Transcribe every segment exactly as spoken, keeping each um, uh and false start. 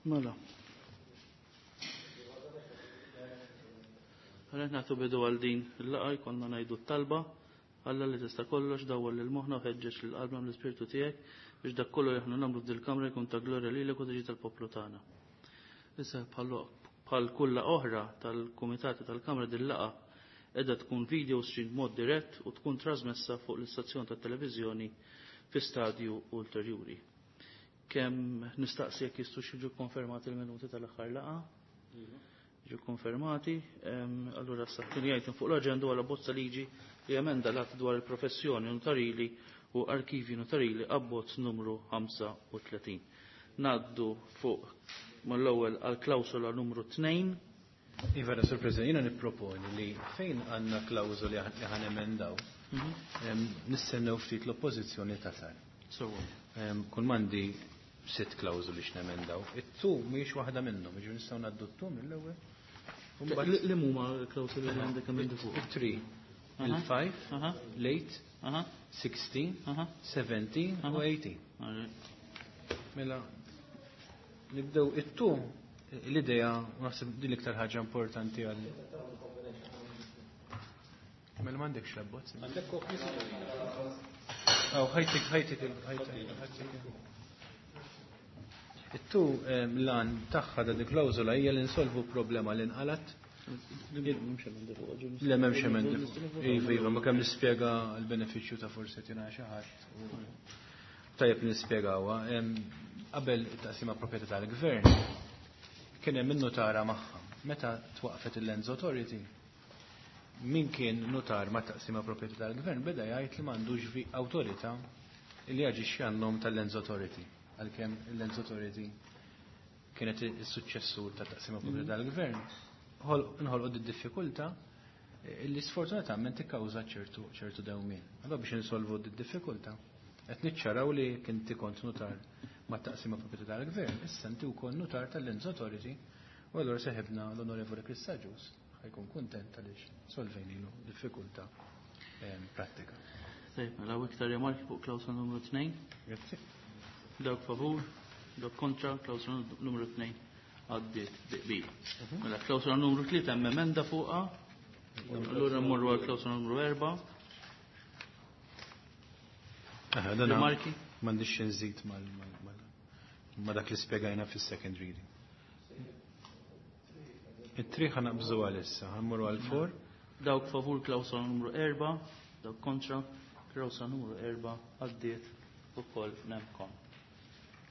Mela. Għalhekk nagħtu bidu għal din il-laqgħa jkollna ngħidu t-talba. Alla li tista' kollox dawwal lil moħħna u ħeġġeġ lil qalbna bl-Ispirtu tiegħek biex dak kollu li aħna nagħmlu f'dil-kamra jkun ta' glorja lilek u tiġi tal-poplu tagħna. Issa bħal kulla oħra tal-kumitati tal-Kamra din laqgħa qiegħda tkun video stream b'mod dirett u tkun trasmessa fuq l-istazzjon tat-televiżjoni fi stadju ulterjuri. Kemm nistaqsi jekk jistgħux jiġu konfermati l-minuti tal-aħħar laqgħa? Jiġu konfermati. Allura sa tieni item fuq l-aġenda għal bozza liġi li emenda l-att dwar il-professjoni notarili u arkivi notarili abbozz numru ħamsa u tletin. Naddu fuq mal-ewwel għal klawsola numru tnejn. Iva, Sur President, jiena nipproponi li fejn għandna klawżoli li ħan emendaw, nistennew ftit l-oppożizzjoni tasal. Sewwa. Kull m'għandi sitt klawżoli x'nemendaw. It-tu mhijiex waħda minnhom, jiġifieri nistgħu ngħaddu t-tu mill-ewwel. Li huma l-klawżoli li għandek emendi fuq? It-three, il-five, l-eight, sixteen, seventeen u eighteen. Mela, nibdew it-tu, l-idea, naħseb din l-iktar ħaġa importanti għal. Mela m'għandekx l-abbozz. Għandek kopji? Aw, ħajtik, ħajtik, ħajtik, ħajtik. It-tu lan tagħha da dik klawżola hija li nsolvu problema li nqalat. Le m'hemmx emendi fuq. Iva, iva, ma kemm nispjega l-benefiċċju ta' forsi tina xi ħadd. Tajjeb nispjegawha. Qabel it-taqsima proprjetà tal-gvern kien hemm in-nutara magħha. Meta twaqfet il-Lands Authority, min kien nutar ma' taqsima proprjetà tal-gvern beda jgħid li m'għandux vi awtorità li jaġixxi għan-nom tal-Lands Authority. Għalkemm il-Lands Authority kienet is-suċċessur ta' taqsima proprjetà tal-gvern, nħolqu di diffikultà li sfortunatament tikkawża ċertu, ċertu dewmien. Allora biex insolvu di diffikultà qed niċċaraw li kien kont nutar ma' taqsima proprjetà tal-gvern, issa inti wkoll nutar tal-Lands Authority, u allura seħibna l-Onorevoli Chris Agius ħajkun kuntent għaliex solvejnilu diffikultà pratika. Tajjeb, mela iktar rimarki fuq klawsola numru tnejn. Grazzi. Dawk favur, dawk kontra, klawsola numru tnejn għaddiet bi qbil. Mela klawsola numru tlieta hemm emenda fuqha. Allura mmorru għal klawsola numru erba'. Aha, dan Rimarki? M'għandix xi nżid mal-, mal-, mal-, ma dak li spjegajna fis-second reading. It-tri ħa naqbżu għalissa, ħammurru għal four. Dawk favur klawsola numru erba', dawk kontra, klawsola numru erba' għaddiet ukoll nemkom.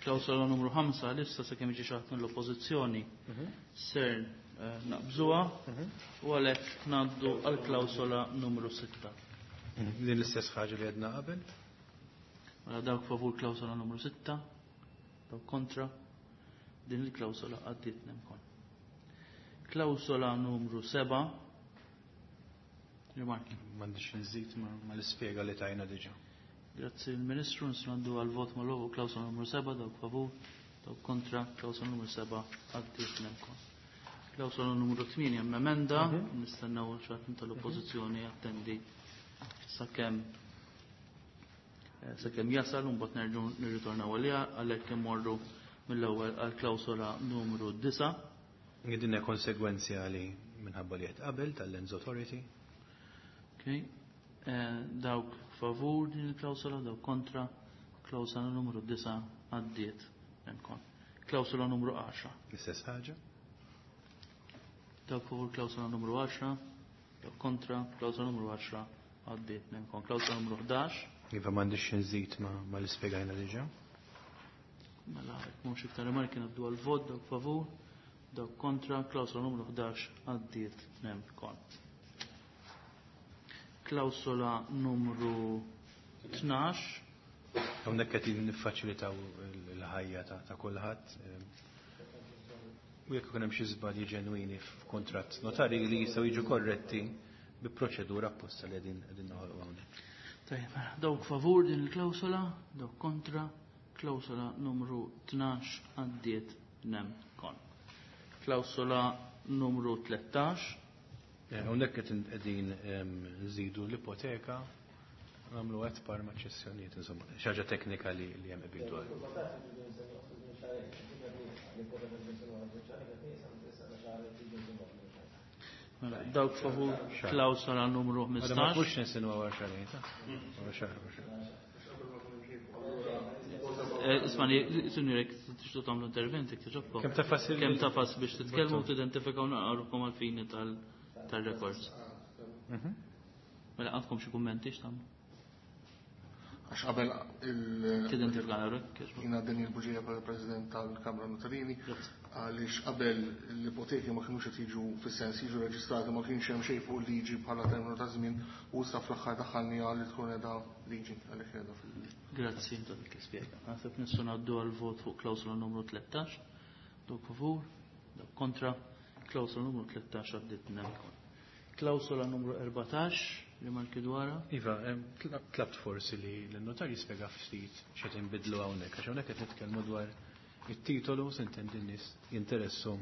Klawsola numru ħamsa għalissa sakemm jiġi xi ħadd mill-oppożizzjoni ser, eh, naqbżuha u għalhekk ngħaddu għal klawsola numru sitta. Din l-istess ħaġa li għedna qabel. Mela dawk favur klawsola numru sitta, dawk kontra, din il-klawsola għaddiet nemkom. Klawsola numru seba'. Rimarki. M'għandix nżid ma, ma l-ispjega li tajna diġà. Grazzi il-Ministru, nistgħu għal vot mal-ewwel klawsola numru seba', dawk favur, dawk kontra, klawsola numru seba' għaddiet nemkom. Klawsola numru tmienja hemm emenda, Mhm. nistennew xi ħadd tal-oppożizzjoni jattendi sakemm, eh, sakemm jasal u mbagħad nerġgħu nirritornaw għaliha, għalhekk immorru mill-ewwel għal klawsola numru disa'. Din hija konsegwenzjali minħabba li qed qabel tal-Lands Authority. Okay. Eh, dawk favur din il-klawsola, dawk kontra, klawsola numru disa' għaddiet hemmhekk. Klawsola numru għaxra. L-istess ħaġa. Dawk favur klawsola numru għaxra, dawk kontra, klawsola numru għaxra għaddiet hemmhekk. Klawsola numru ħdax. Iva m'għandix nżid ma, ma l-ispjegajna diġà. Mela, jekk mhux iktar rimarki ngħaddu għal vot, dawk favur, dawk kontra, klawsola numru ħdax għaddiet hemmhekk. Klawsola numru tnax. Hawnhekk qed niffaċilitaw il-ħajja ta', ta' kulħadd. U jekk ikun hemm xi żbalji ġenwini f'kuntratt notari li jistgħu jiġu korretti bi proċedura apposta li qegħdin, qegħdin noħolqu hawnhekk. Tajjeb, mela, dawk favur din il-klawsola, dawk kontra, klawsola numru tnax għaddiet nemkon. Klawsola numru tlettax. Eh, hawnhekk qed qegħdin, ehm, nżidu l-ipoteka, nagħmlu qed par ma' ċessjonijiet, insomma, xi ħaġa teknika li, li hemm qbil dwar. Mela, dawk favur klawsola numru Għada ma ħmistax. kux nisinwa wara xahrejn, ta? Wara xahar, wara xahar. Eh, Ismani, sinjurek, tixtu tagħmlu intervent, jekk tiġobkom. Kemm tafas il- Kemm tafas biex titkellmu u tidentifikaw naqrukom għal-fini tal-records. Mhm. Mela għandkom xi kummenti x'tagħmlu? Għax qabel il- Tidentifika naqruk, kiex. Jiena Daniel Buġija bħala President tal-Kamra Notarili, għaliex qabel l-ipoteki ma kienux qed jiġu fis-sens jiġu reġistrati, ma kienx hemm xejn fuq liġi bħala terminu ta' żmien u issa fl-aħħar daħħalni għal li tkun qiegħda liġi għalhekk qiegħda fil- Grazzi ta' dik l-ispjega. Naħseb nistgħu ngħaddu għal vot fuq klawsola numru tlettax. Dawk favur, dawk kontra, klawsola numru tlettax għaddiet nemkon. Klawsola numru erbatax li marki dwarha. Iva, em, tlab- tlabt forsi li l-notar jispjega ftit x'qed inbidlu hawnhekk, għax hawnhekk qed nitkellmu dwar it-titolu, s'intendi n-nies jinteressu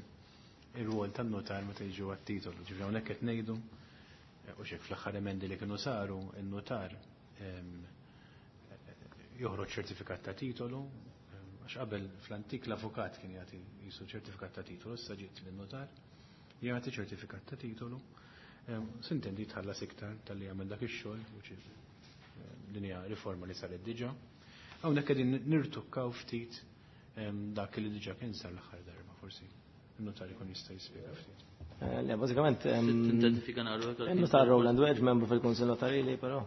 ir-rwol tan-notar meta jiġu għat-titolu. Ġifieri hawnhekk qed ngħidu eh, u xek fl-aħħar emendi li kienu saru, in-notar em, joħroġ ċertifikat ta' titolu, em, għax qabel fl-antik l-avukat kien jagħti jisu ċertifikat ta' titolu, issa ġiet lin-notar jagħti ċertifikat ta' titolu. Em, S'intendi tħallas iktar tal-li jagħmel dak ix-xogħol, which is, em, din hija riforma li saret diġà. Hawnhekk qegħdin nirtukkaw ftit em, dak li diġà kien sar l-aħħar darba, forsi il-notar ikun jista' jispjega ftit. Eh, Le, bażikament em, Tidentifika naqruk. Il-notar Roland Wedge, membru fil-Kunsill Notarili, però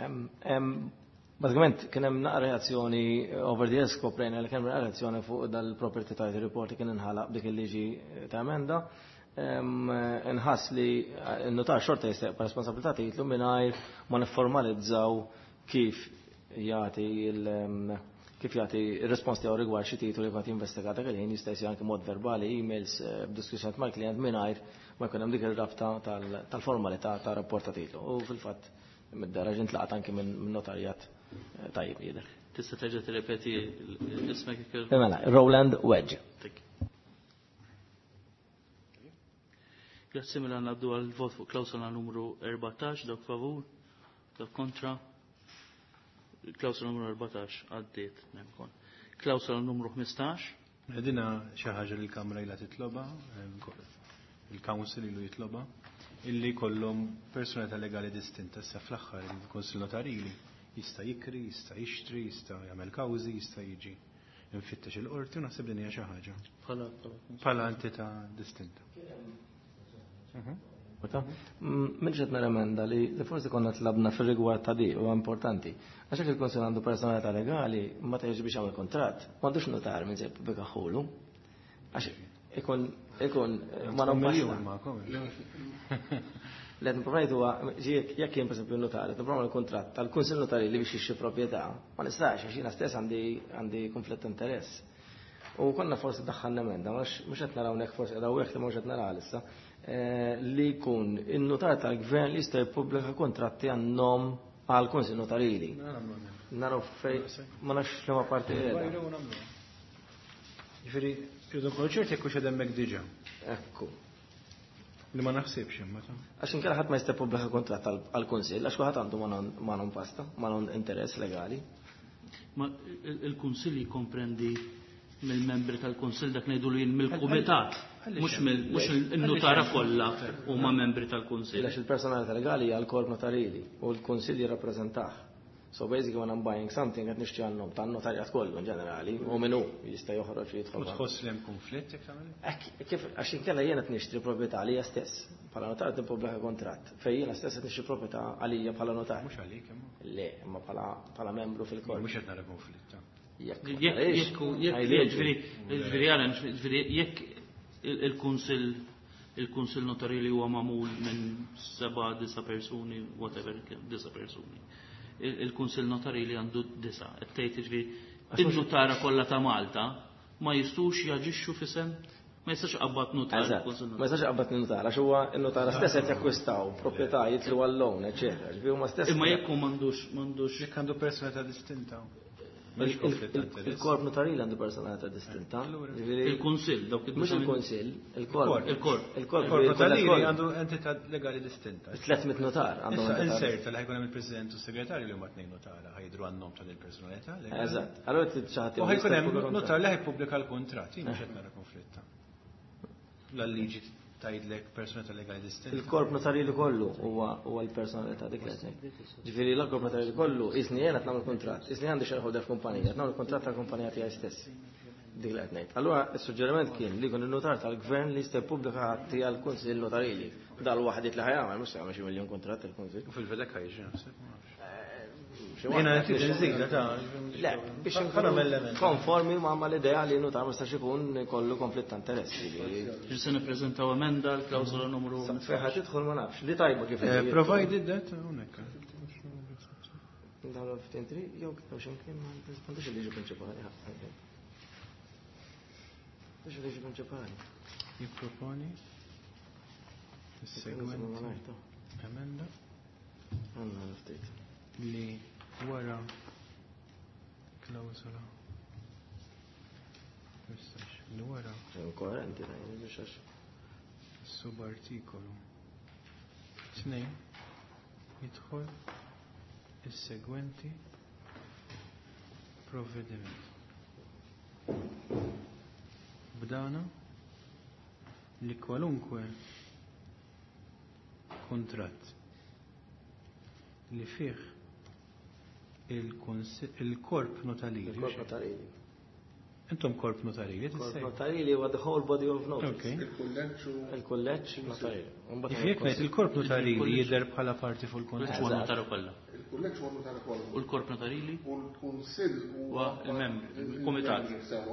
em, em, bażikament kien hemm naqra reazzjoni over the years, skoprejna li kien hemm reazzjoni fuq dal-property title report li kien inħalaq b'dik il-liġi ta' emenda. Em, Inħass li n-notar xorta jista' jibqa' responsabilità titlu mingħajr ma nifformalizzaw kif jagħti il em, kif jagħti ir-respons tiegħu rigward xi titolu li qed jinvestiga dak il-ħin, jista' jsir anke mod verbali, emails, eh, b'diskussjoni mal-klient mingħajr ma jkun hemm dik ir-rabta tal- tal-formalità ta' rapport ta' titlu. U fil-fatt mid-daraġa intlaqat anke minn minn notarjat eh, tajjeb jidher. Tista' terġa' tirrepeti ismek jekk Mela, Roland Wedge. Thank you. Grazzi, mela ngħaddu għal vot fuq klawsola numru erbatax, dawk favur, dawk kontra. Klawsola numru erbatax għaddiet nemkon. Klawsola numru ħmistax. Dina xi ħaġa li l-Kamra ilha titloba, em, il-Council ilu jitloba, illi kollhom personalità legali distinta. Issa fl-aħħar il-Kunsill Notarili jista' jikri, jista' jixtri, jista' jagħmel kawżi, jista' jiġi infittex il-qorti u naħseb din hija xi ħaġa Bħala bħala bħala entità distinta. Minn ġed emenda li li forsi konna tlabna fil-rigward ta' di u importanti. Għax jekk il-Kunsill għandu personalità legali, ma ta' biex jagħmel kontratt, m'għandux notar minn se jippubblikaħulu. Għax ikun ikun ma non Miljun basta. magħkom. Li qed nipprova ngħid huwa ġi jekk jien pereżempju notar, qed nipprova l-kuntratt tal-Kunsill Notarili li biex jixtri proprjetà, ma nistax għax jiena stess għandi għandi konflitt ta' interess. U konna forsi daħħalna emenda, mhux mhux qed naraw hekk, forsi qed hekk li mhux qed naraw issa, eh, li jkun in-notar tal-gvern li jista' jippubblika kontratti għan-nom għal Kunsill Notarili. Naraw fej ma nafx liema parti qiegħda. Ġifieri, rridu nkunu ċerti jekk hux hemmhekk diġà. Ekku. Li ma naħsibx imma ta' Għax inkella ħadd ma jista' jippubblika kontratt għal- għall-Kunsill, għax kulħadd għandu ma non pasta, ma non interess legali. Ma il- il-Kunsill jikkomprendi mill-membri tal-Kunsill, dak ngħidu li mill-kumitat, mhux mill mhux in-nutara kollha huma membri tal-Kunsill. Għax il-personalità legali hija l-korp notarili u l-Kunsill jirrappreżentah. So basically when I'm buying something qed nixtri għan-nom tan-notarjat kollu in ġenerali u min hu jista' joħroġ u U jidħol. tħoss li hemm konflitt jekk tagħmel? Ek, kif, għax inkella jiena qed nixtri proprjetà għalija stess. Bħala notar qed nippubblika kontratt fejn jiena stess qed nixtri proprjetà għalija bħala notar. Mhux għalik imma. Le, imma bħala bħala membru fil-korp. Mhux qed nara konflitt. ta. Jekk ma Jekk tarix, jekk jekk għajliġi. ġifieri ġifieri għala, ġifieri jekk il- il-Kunsill il-Kunsill Notarili huwa magħmul minn seba' disa' persuni, whatever, disa' persuni. Il- Il-Kunsill Notarili għandu disa'. Qed tgħid ġifieri in-nutara kollha ta' Malta ma jistgħux jaġixxu f'isem, ma jistax qabad notar Eżatt, il-Kunsill ma jistax qabad notar, għax huwa n-notara stess qed jakkwistaw proprjetà, jitlu għall-loan, eċetera. Ġifieri huma stess. Imma jekk hu m'għandux m'għandux Jekk għandu personalità distinta. Il-korp notarili għandu personalità distinta. Il-Kunsill, dawk Mhux il-Kunsill, il-korp. Il-korp. Il-korp notarili għandu entità legali distinta. tliet mitt notar għandhom entità. Inserta li ħajkun hemm il-President u s-Segretarju li huma tnejn notara ħajdru għan-nom ta' il-personalità. Eżatt. Allura trid xi ħadd. U ħajkun hemm notar li ħajpubblika l-kuntratt, jien mhux qed nara konflitta. La liġi tgħidlek personalità legali distinta. Il-korp notarili kollu huwa huwa l-personalità dik li qed ngħid. Ġifieri l-korp notarili kollu isni jiena qed nagħmel kuntratt, isni għandi shareholder f'kumpanija, qed nagħmel kuntratt tal-kumpanija tiegħi stess. Dik li qed ngħid. Allura s-suġġeriment kien li jkun in-notar tal-gvern li jista' jippubblika atti għall-Kunsill Notarili. Dal waħdiet li ħajamel mhux se jagħmel xi miljun kuntratt il-Kunsill. U fil-vedek ħajġi naħseb. Jiena qed inżida ta' Le, biex nkunu konformi ma' mal-idea li notar ma jistax ikun kollu konflitt ta' interess. Ġi se nippreżentaw emenda l-klawsola numru. Fejn ħadd tidħol ma nafx, li tajba kif. Provided that hawnhekk. Dawn fifteen three jew jew x'imkien ma m'għandix il-liġi prinċipali. M'għandix il-liġi prinċipali. Jipproponi is-segwenti emenda Għandna ftit. li wara klawsola li wara Koerenti, biex għax. subartikolu tnejn jidħol is-segwenti provvediment. B'dana li kwalunkwe kuntratt li fih il-korp notarili. Il-korp notarili. Intom korp notarili, Korp notarili huwa the whole body of notaries. Il-kulleġġ u Il-kulleġġ notarili. Jekk ngħid il-korp notarili jidher bħala parti fuq il-kuntratt. Huwa notaru kollha. Il-kulleġġ huwa notaru kollha. U l-korp notarili? U l-kunsill huwa il-membri, il-kumitat.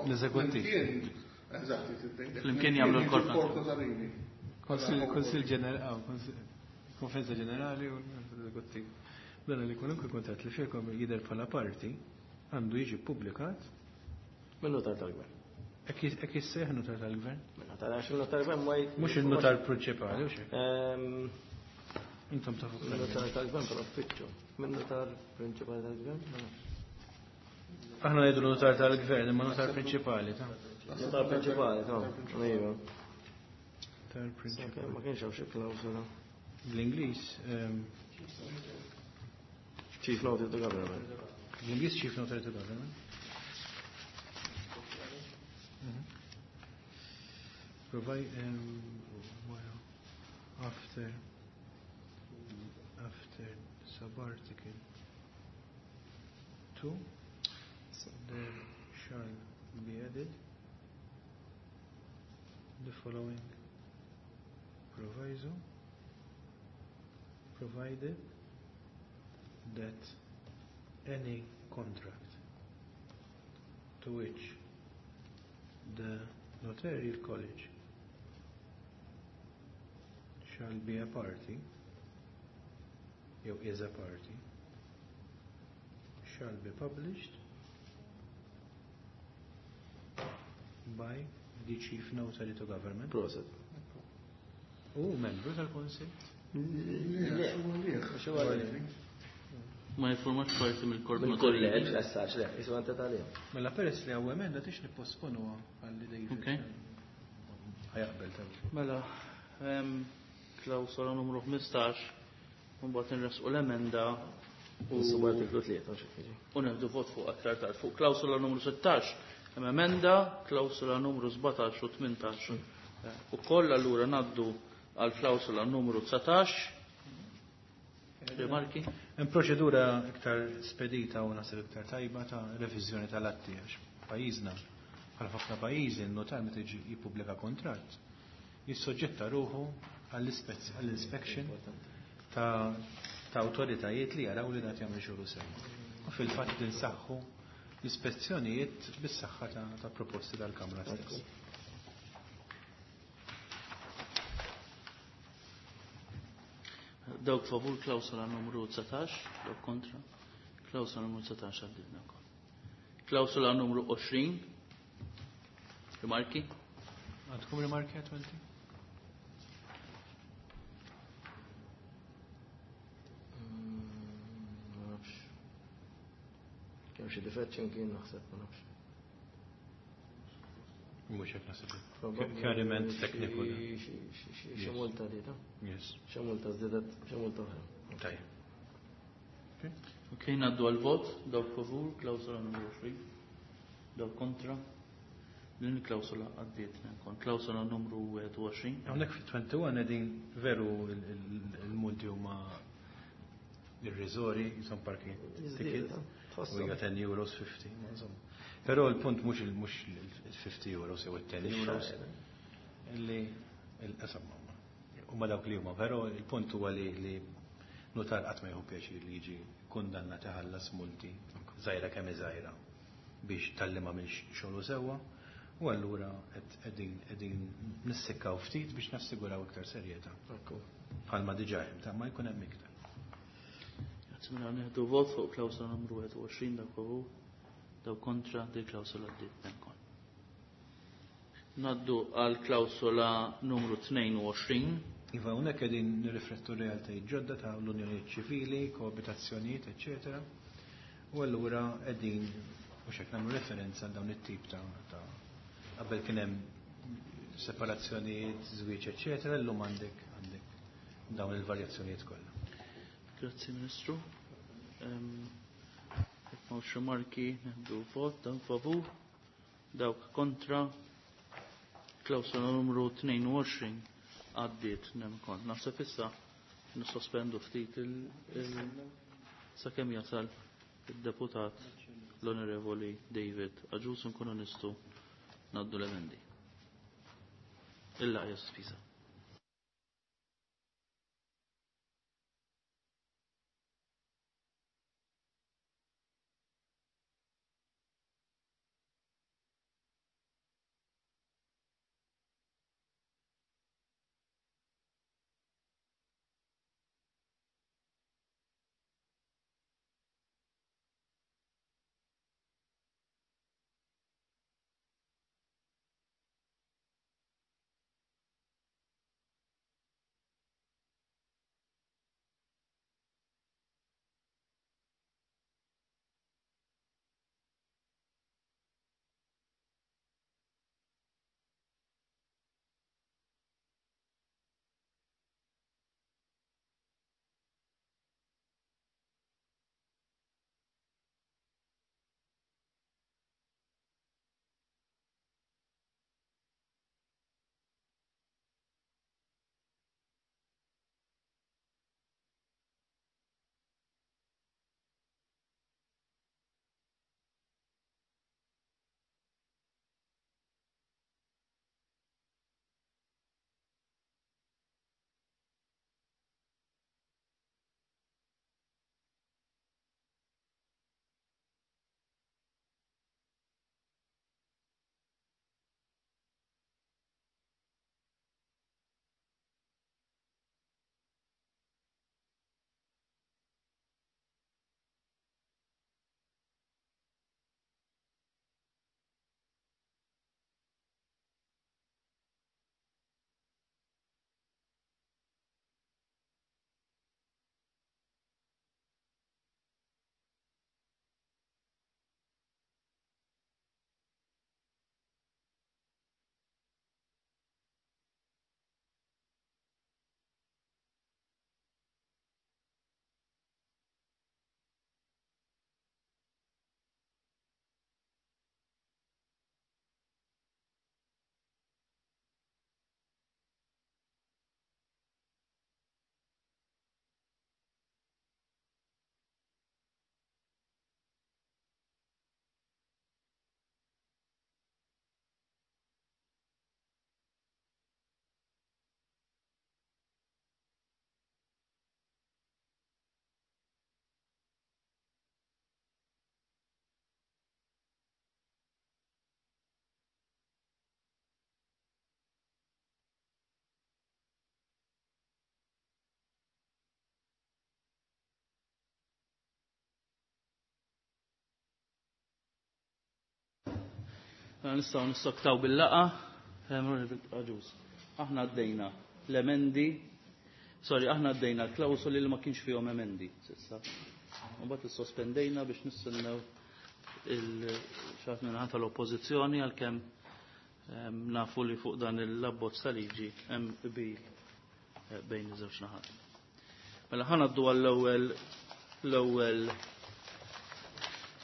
L-eżekuttiv. Eżatt, Flimkien jagħmlu l-korp notarili. Kunsill ġenerali, konferenza ġenerali u l-eżekuttiv. Dan li kwalunkwe kuntratt li fihom jidher bħala parti għandu jiġi ppubblikat minn notar tal-gvern. Hekk jissejjaħ notar tal-gvern? Minn notar għax il-notar tal-gvern ma Mhux il-notar prinċipali u xejn. Intom tafu. Minn notar tal-gvern però uffiċċju. Minn notar prinċipali tal-gvern? Aħna ngħidu notar tal-gvern imma notar prinċipali ta' Notar prinċipali ta' Iva. Notar prinċipali. Ma kienx hawn xi klawsola. Bl-Ingliż Chief Notary to Government. Bl-Ingliż Chief Notary to Government. Provide um, well, after after subarticle two there shall be added the following proviso, provided that any contract to which the notarial college shall be a party, jew is a party, shall be published by the chief notary to government. Proset. U membru tal-Kunsill? Le, Ma jiffurmax parti mill-korp notarili. Mill-kulleġġ, as such, le, jisu għanta tal Mela peress li hawn emenda tix nipposponu għalli David. Okay. Ħajaqbel tal. Mela, klawsola numru ħmistax, mbagħad inresqu l-emenda u subartiklu tlieta xi jiġi. U nieħdu vot fuq aktar tard. Fuq klawsola numru sittax hemm emenda, klawsola numru sbatax u tmintax. Ukoll allura ngħaddu għal klawsola numru dsatax. Rimarki? Hemm proċedura iktar spedita u naħseb iktar tajba ta' reviżjoni tal-atti għax pajjiżna bħal ħafna pajjiżi n-notar meta jiġi jippubblika kontratt jissoġġetta ruħu għall-inspection ta' ta' awtoritajiet li jaraw li dat jagħmel xogħlu sew. U fil-fatt insaħħu l-ispezzjonijiet bis-saħħa ta' proposti tal-Kamra stess. Dawk favur klawsola numru dsatax, dawk kontra. Klawsola numru dsatax għadditna wkoll. Klawsola numru għoxrin. Rimarki? Għandkom rimarki għatwenti? Kemm xi difett x'imkien naħseb ma nafx. Mhux hekk naħseb. Kjariment tekniku. Xi multa di ta'? Yes. Xi multa żdiedet, xi multa oħra. Tajjeb. Ok, ngħaddu għal-vot, dawk favur, klawsola numru għoxrin, dawk kontra. Din il-klawsola għaddiet nkun. Klawsola numru wieħed u għoxrin. Hawnhekk fit-twenty-one qegħdin veru il-multi huma irriżori, jisom parking ticket. U hija ten euros fifty, ma insomma. Però l-punt mhux il-mhux il-fifty euros jew it-ten euros. Illi il-qasam huma dawk li huma, però il-punt huwa li li notar qatt ma jieħu pjaċir li jiġi kundannat iħallas multi żgħira kemm żgħira biex talli ma m'għamilx xogħlu sewwa. U allura qegħdin qegħdin nissikkaw ftit biex nassiguraw iktar serjetà. Bħalma diġà hemm, ta' ma jkun hemm iktar. Grazzi, mela nieħdu vot fuq klawsola numru wieħed u għoxrin, dawk favur, dawk kontra, di klawsola għaddiet nkun. Naddu għal klawsola numru tnejn u għoxrin. Iva, hawnhekk qegħdin nirriflettu realtajiet ġodda ta' l-unjonijiet ċivili, koabitazzjonijiet, eċċetera. U allura qegħdin mhux hekk nagħmlu referenza għal dawn it-tip ta' ta' qabel kien hemm separazzjonijiet, żwieġ, eċċetera, llum għandek, għandek dawn il-varjazzjonijiet kollha. Grazzi Ministru. Jekk m'hawnx rimarki, nieħdu vot, dawk favur, dawk kontra. Klawsola numru tnejn u għoxrin għaddiet nemkont. Naħseb issa nissospendu ftit il-, il-, sakemm jasal id-deputat l-Onorevoli David Agius nkunu nistgħu ngħaddu l-emendi. Il-laqgħa sospiża. Nistgħu nissoktaw bil-laqa. Aħna għaddejna l-emendi, sorry, aħna għaddejna l-klawsoli li ma kienx fihom emendi s'issa. Mbagħad issospendejna biex nistennew il-xaħat minnaħa tal-oppożizzjoni għalkemm nafu li fuq dan il-abbozz ta' liġi hemm qbil bejn iż-żewġ naħat. Mela ħa ngħaddu għall-ewwel l-ewwel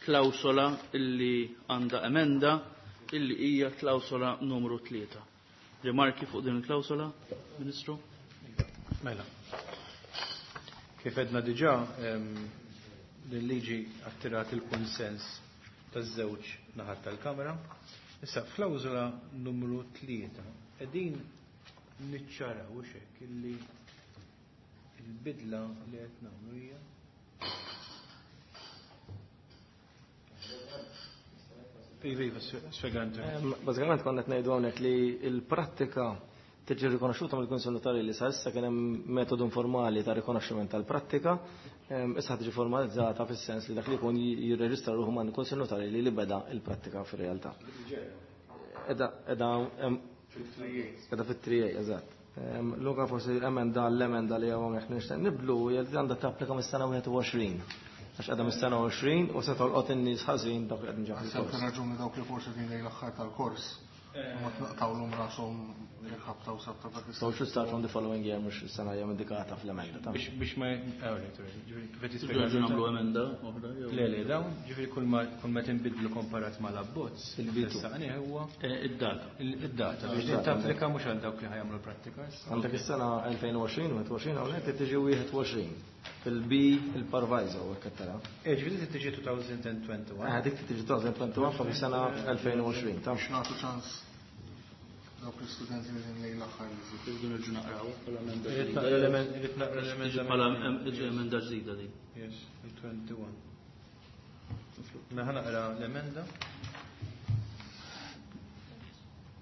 klawsola illi għandha emenda illi hija klawsola numru tlieta. Rimarki fuq din il-klawsola, Ministru? Mela. Kif edna diġà, l-liġi attirat il-konsens taż-żewġ naħat tal-Kamra. Issa f'klawsola numru tlieta qegħdin niċċaraw hekk illi il-bidla li qed nagħmlu hija Iva, iva, spjega inti. Bażikament konna qed ngħidu hawnhekk li l-prattika tiġi rikonoxxuta mill-Kunsill Notarili. Sa issa kien hemm metodu informali ta' rikonoxximent tal-prattika, issa tiġi formalizzata fis-sens li dak li jkun jirreġistra ruħu ma' Kunsill Notarili li beda il-prattika fir-realtà. Eda eda eda fit-three A, eżatt. Luka forsi emenda l-emenda li hawnhekk nixtieq niblu hija li għandha tapplika mis-sena wieħed u għoxrin. Għax għadha mis-sena għoxrin u se tolqot in-nies ħażin dawk li qegħdin ġo Għasab fil-kors. raġuni dawk li forsi din lejn l-aħħar tal-kors. Ma tnaqtawlhom rashom jekk ħabta u sabta dak So should start from the following year, mhux is-sena hija indikata fl-emenda ta' Biex biex ma kif qed jispjega Ġifieri nagħmlu emenda oħra jew Le, le, dawn, ġifieri kull ma kull ma tinbidlu komparat mal-abbozz, Il-bidu. Saqni huwa Eh, id-data. id-data biex din tapplika mhux għal dawk li ħajamlu l-prattika issa. Għandek is-sena elfejn u għoxrin, wieħed u għoxrin hawnhekk qed tiġi wieħed u għoxrin. Fil-B il-proviso hekk qed tara. Eh, ġifieri tiġi two thousand twenty-one. Eh, dik tiġi twenty twenty-one fa' sena elfejn u għoxrin, ta' Biex nagħtu ċans dawk l-istudenti li din lejn l-aħħar li jżidu. Irridu nerġgħu naqraw bħala emenda Irrid ġdida. naqra l-emen- irrid naqra l-emenda. Bħala emenda ġdida din. Yes, il-twenty-one. Mela ħa naqra l-emenda.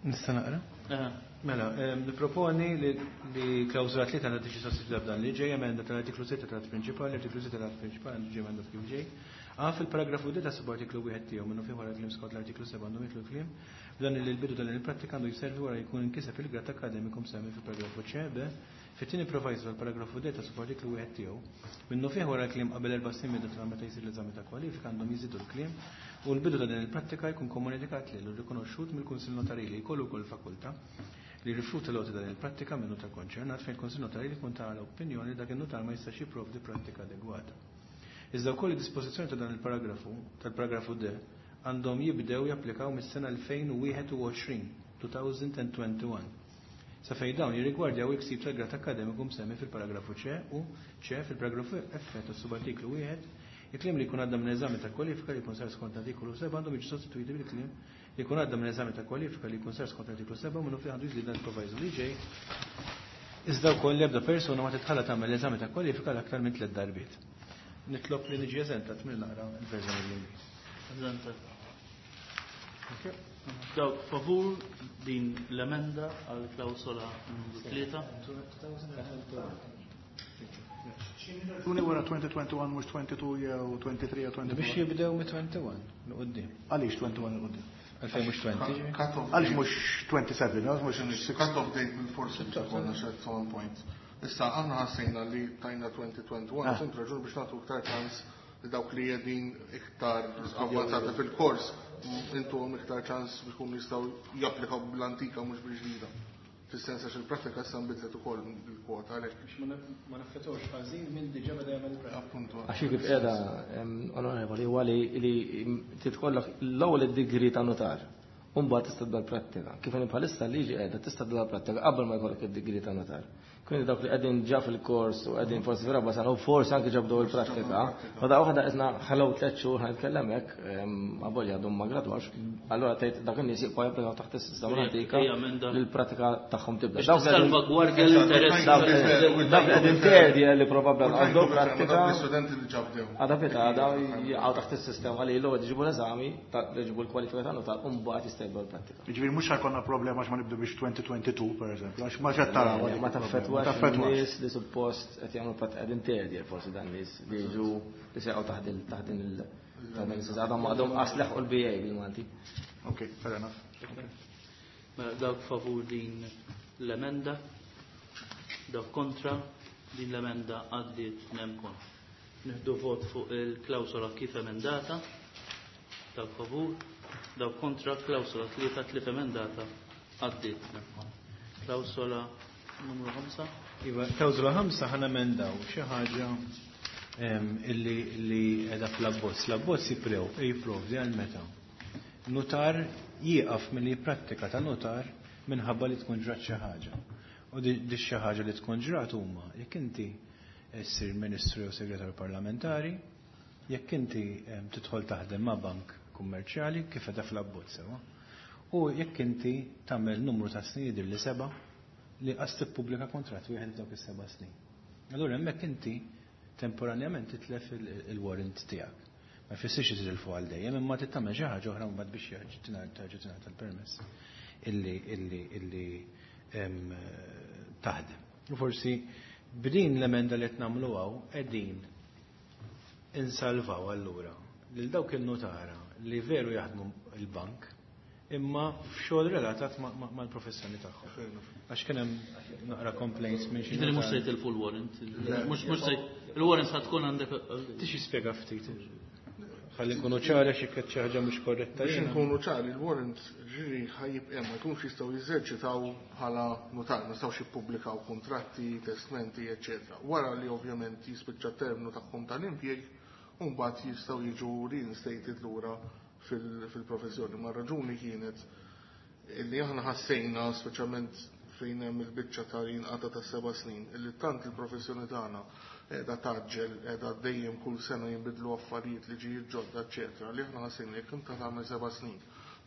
Nista' naqra? Eh, Mela, em, niproponi li, li klawżola tlieta għandha tiġi sostituita b'dan li ġej: emenda tal-artiklu sitta tal-att prinċipali, artiklu sitta tal-att prinċipali għandu ġej emendat kif ġej. A fil-paragrafu D ta' subartiklu wieħed tiegħu minnu fih wara kliem skont l-artiklu seba' għandhom jidħlu kliem b'dan li l-bidu tal il-prattika għandu jservi wara jkun inkiseb il-grad akademiku msemmi fil-paragrafu C, B fit-tieni proviso tal-paragrafu D ta' subartiklu wieħed tiegħu minnu fih wara kliem qabel erba' snin minn data meta jsir l-eżami ta' kwalifika għandhom jiżidu l-kliem u l-bidu ta' din il-prattika jkun komunikat lil u rikonoxxut mill-Kunsill Notarili, jkollu wkoll fakultà li rifjuta l din il-prattika minn notar konċernat fejn il-Kunsill Notarili jkun ta' l-opinjoni li dak in-notar ma jistax jipprovdi prattika adegwata. Iżda wkoll id-dispożizzjoni ta' dan il-paragrafu, tal-paragrafu D, għandhom jibdew japplikaw mis-sena elfejn u wieħed u għoxrin, twenty twenty-one. Sa fejn dawn jirrigwardjaw il-ksib tal-grad akademiku msemmi fil-paragrafu C u C fil-paragrafu F tas-subartiklu wieħed, il-kliem li jkun għadda minn eżami ta' kwalifika li jkun sar skont artikolu seba' għandhom jiġu sostituiti bil-kliem li jkun għadda minn eżami ta' kwalifika li jkun sar skont artiklu seba' minnu fih għandu jiżdied dan il-proviso li ġej. Iżda wkoll l-ebda persuna ma titħalla tagħmel eżami ta' kwalifika l-aktar minn tliet darbiet. Nitlob li niġi eżentat minn naqra l-verżjoni bl-Ingliż. Eżentat. Dawk favur din l-emenda għal klawsola numru tlieta. Raġuni wara twenty twenty-one mhux twenty-two jew twenty-three jew twenty-four? Biex jibdew mit twenty-one l-qoddim. Għaliex twenty-one l-qoddim? Għalfejn mhux twenty. Cut-off Għaliex mhux twenty-seven, għaliex mhux six? Cut-off date bil-forsi biex ikollna at some point. Issa aħna ħassejna li tajna twenty twenty-one, Ah. sempli raġuni biex nagħtu iktar ċans li dawk li qegħdin iktar avvanzati fil-kors, intuhom iktar ċans biex ikunu jistgħu japplikaw bl-antika mhux bil-ġdida. Fis-sens għax il-prattika issa nbidlet ukoll il-kwota għalhekk. Biex ma naffettwawx ħażin minn diġà beda jagħmel pratika. Appuntu. Għax kif qiegħda, onorevoli, huwa li li titkollok l-ewwel id-degree ta' notar. U mbagħad tista' tibda l-prattika. Kif inhi bħalissa liġi qiegħda tista' tibda l-prattika qabel ma jkollok id-degree ta' notar. Quindi dawk li qegħdin ġa fil-kors u qegħdin forsi fir-raba' sena u forsi anke ġabdew il-prattika, ma da waħda qisna ħallew tliet xhur ħa nitkellem hekk, avolja għadhom ma gradwax, allura tgħid dak in-nies jibqgħu japplikaw taħt is-sistema l-antika Hija emenda. li l-pratika tagħhom tibda. Biex Dawk li qegħdin- tissalvagwardja l-interess. dawk li dawk li qegħdin terdi li probabbli għandhom prattika Dawk l-istudenti li ġabdew. Għada pitgħada jaqgħu taħt is-sistema li l-ewwel jġibu l-eżami, ta' li jġibu l-kwalifika ta' notar, u mbagħad jista' jibda l-prattika. Ġifieri mhux ħa jkollna problema għax ma nibdu biex twenty twenty-two per eżempju, għax ma xed taraw. Ma taffettwax Ma taffettwax. nies li suppost qed jagħmlu pratika qegħdin terdi forsi dan nies li jiġu li se jaqgħu taħt il- taħt din il- taħt din il-sistema. Għadhom għadhom qas leħqu l-B A bil-Malti. Ok, fair enough. Mela dawk favur din l-emenda, dawk kontra, din l-emenda għaddiet nemkon. Nieħdu vot fuq il-klawsola kif emendata. Dawk favur, dawk kontra, klawsola tlieta tliet emendata għaddiet. Klawsola numru ħamsa. Iva, klawsola ħamsa ħa nemendaw xi ħaġa illi li qiegħda fl-abbozz. L-abbozz jipprovdi għal meta nutar jieqaf milli jipprattika ta' nutar minħabba li tkun ġrat xi ħaġa. U di xi ħaġa li tkun ġrat huma jekk inti ssir ministru jew segretarju parlamentari, jekk inti tidħol taħdem ma' bank kummerċjali kif qiegħda fl-abbozz sewa. U jekk inti tagħmel numru ta' snin jidher li seba' li qas tippubblika kuntratt wieħed f'dawk is-seba' snin. Allura hemmhekk inti temporanjament titlef il-warrant tiegħek. Ma jfissirx titilfu għal dejjem, imma trid tagħmel xi ħaġa oħra mbagħad biex terġa' tingħata l-permess illi illi illi taħdem. U forsi b'din l-emenda li qed nagħmlu hawn qegħdin insalvaw allura lil dawk il-nutara li veru jaħdmu il-bank imma f'xogħol relatat mal-professjoni tagħhom. Għax kien hemm naqra complaints minn xi. Ġifieri mhux se jitilfu l-warrant. Mhux se il-warrant sa tkun għandek. Tix jispjega ftit. Ħalli nkunu ċari għax jekk xi ħaġa mhux korretta. Biex nkunu ċari, il-warrant ġiri ħajib hemm ma jkunx jistgħu jeżerċitaw bħala notar, ma jistgħux jippubblikaw kuntratti, testmenti, eċċetera. Wara li ovvjament jispiċċa terminu tagħhom tal-impjieg, u mbagħad jistgħu jiġu reinstated lura fil-professjoni. Ma raġuni kienet li aħna ħassejna, speċjalment fejn hemm il-biċċa ta' jinqata ta' seba' snin, illi tant il-professjoni tagħna qiegħda taġġel, qiegħda dejjem kull sena jinbidlu affarijiet, liġijiet ġodda, eċċetera, li aħna ħassejna jekk inta tagħmel seba' snin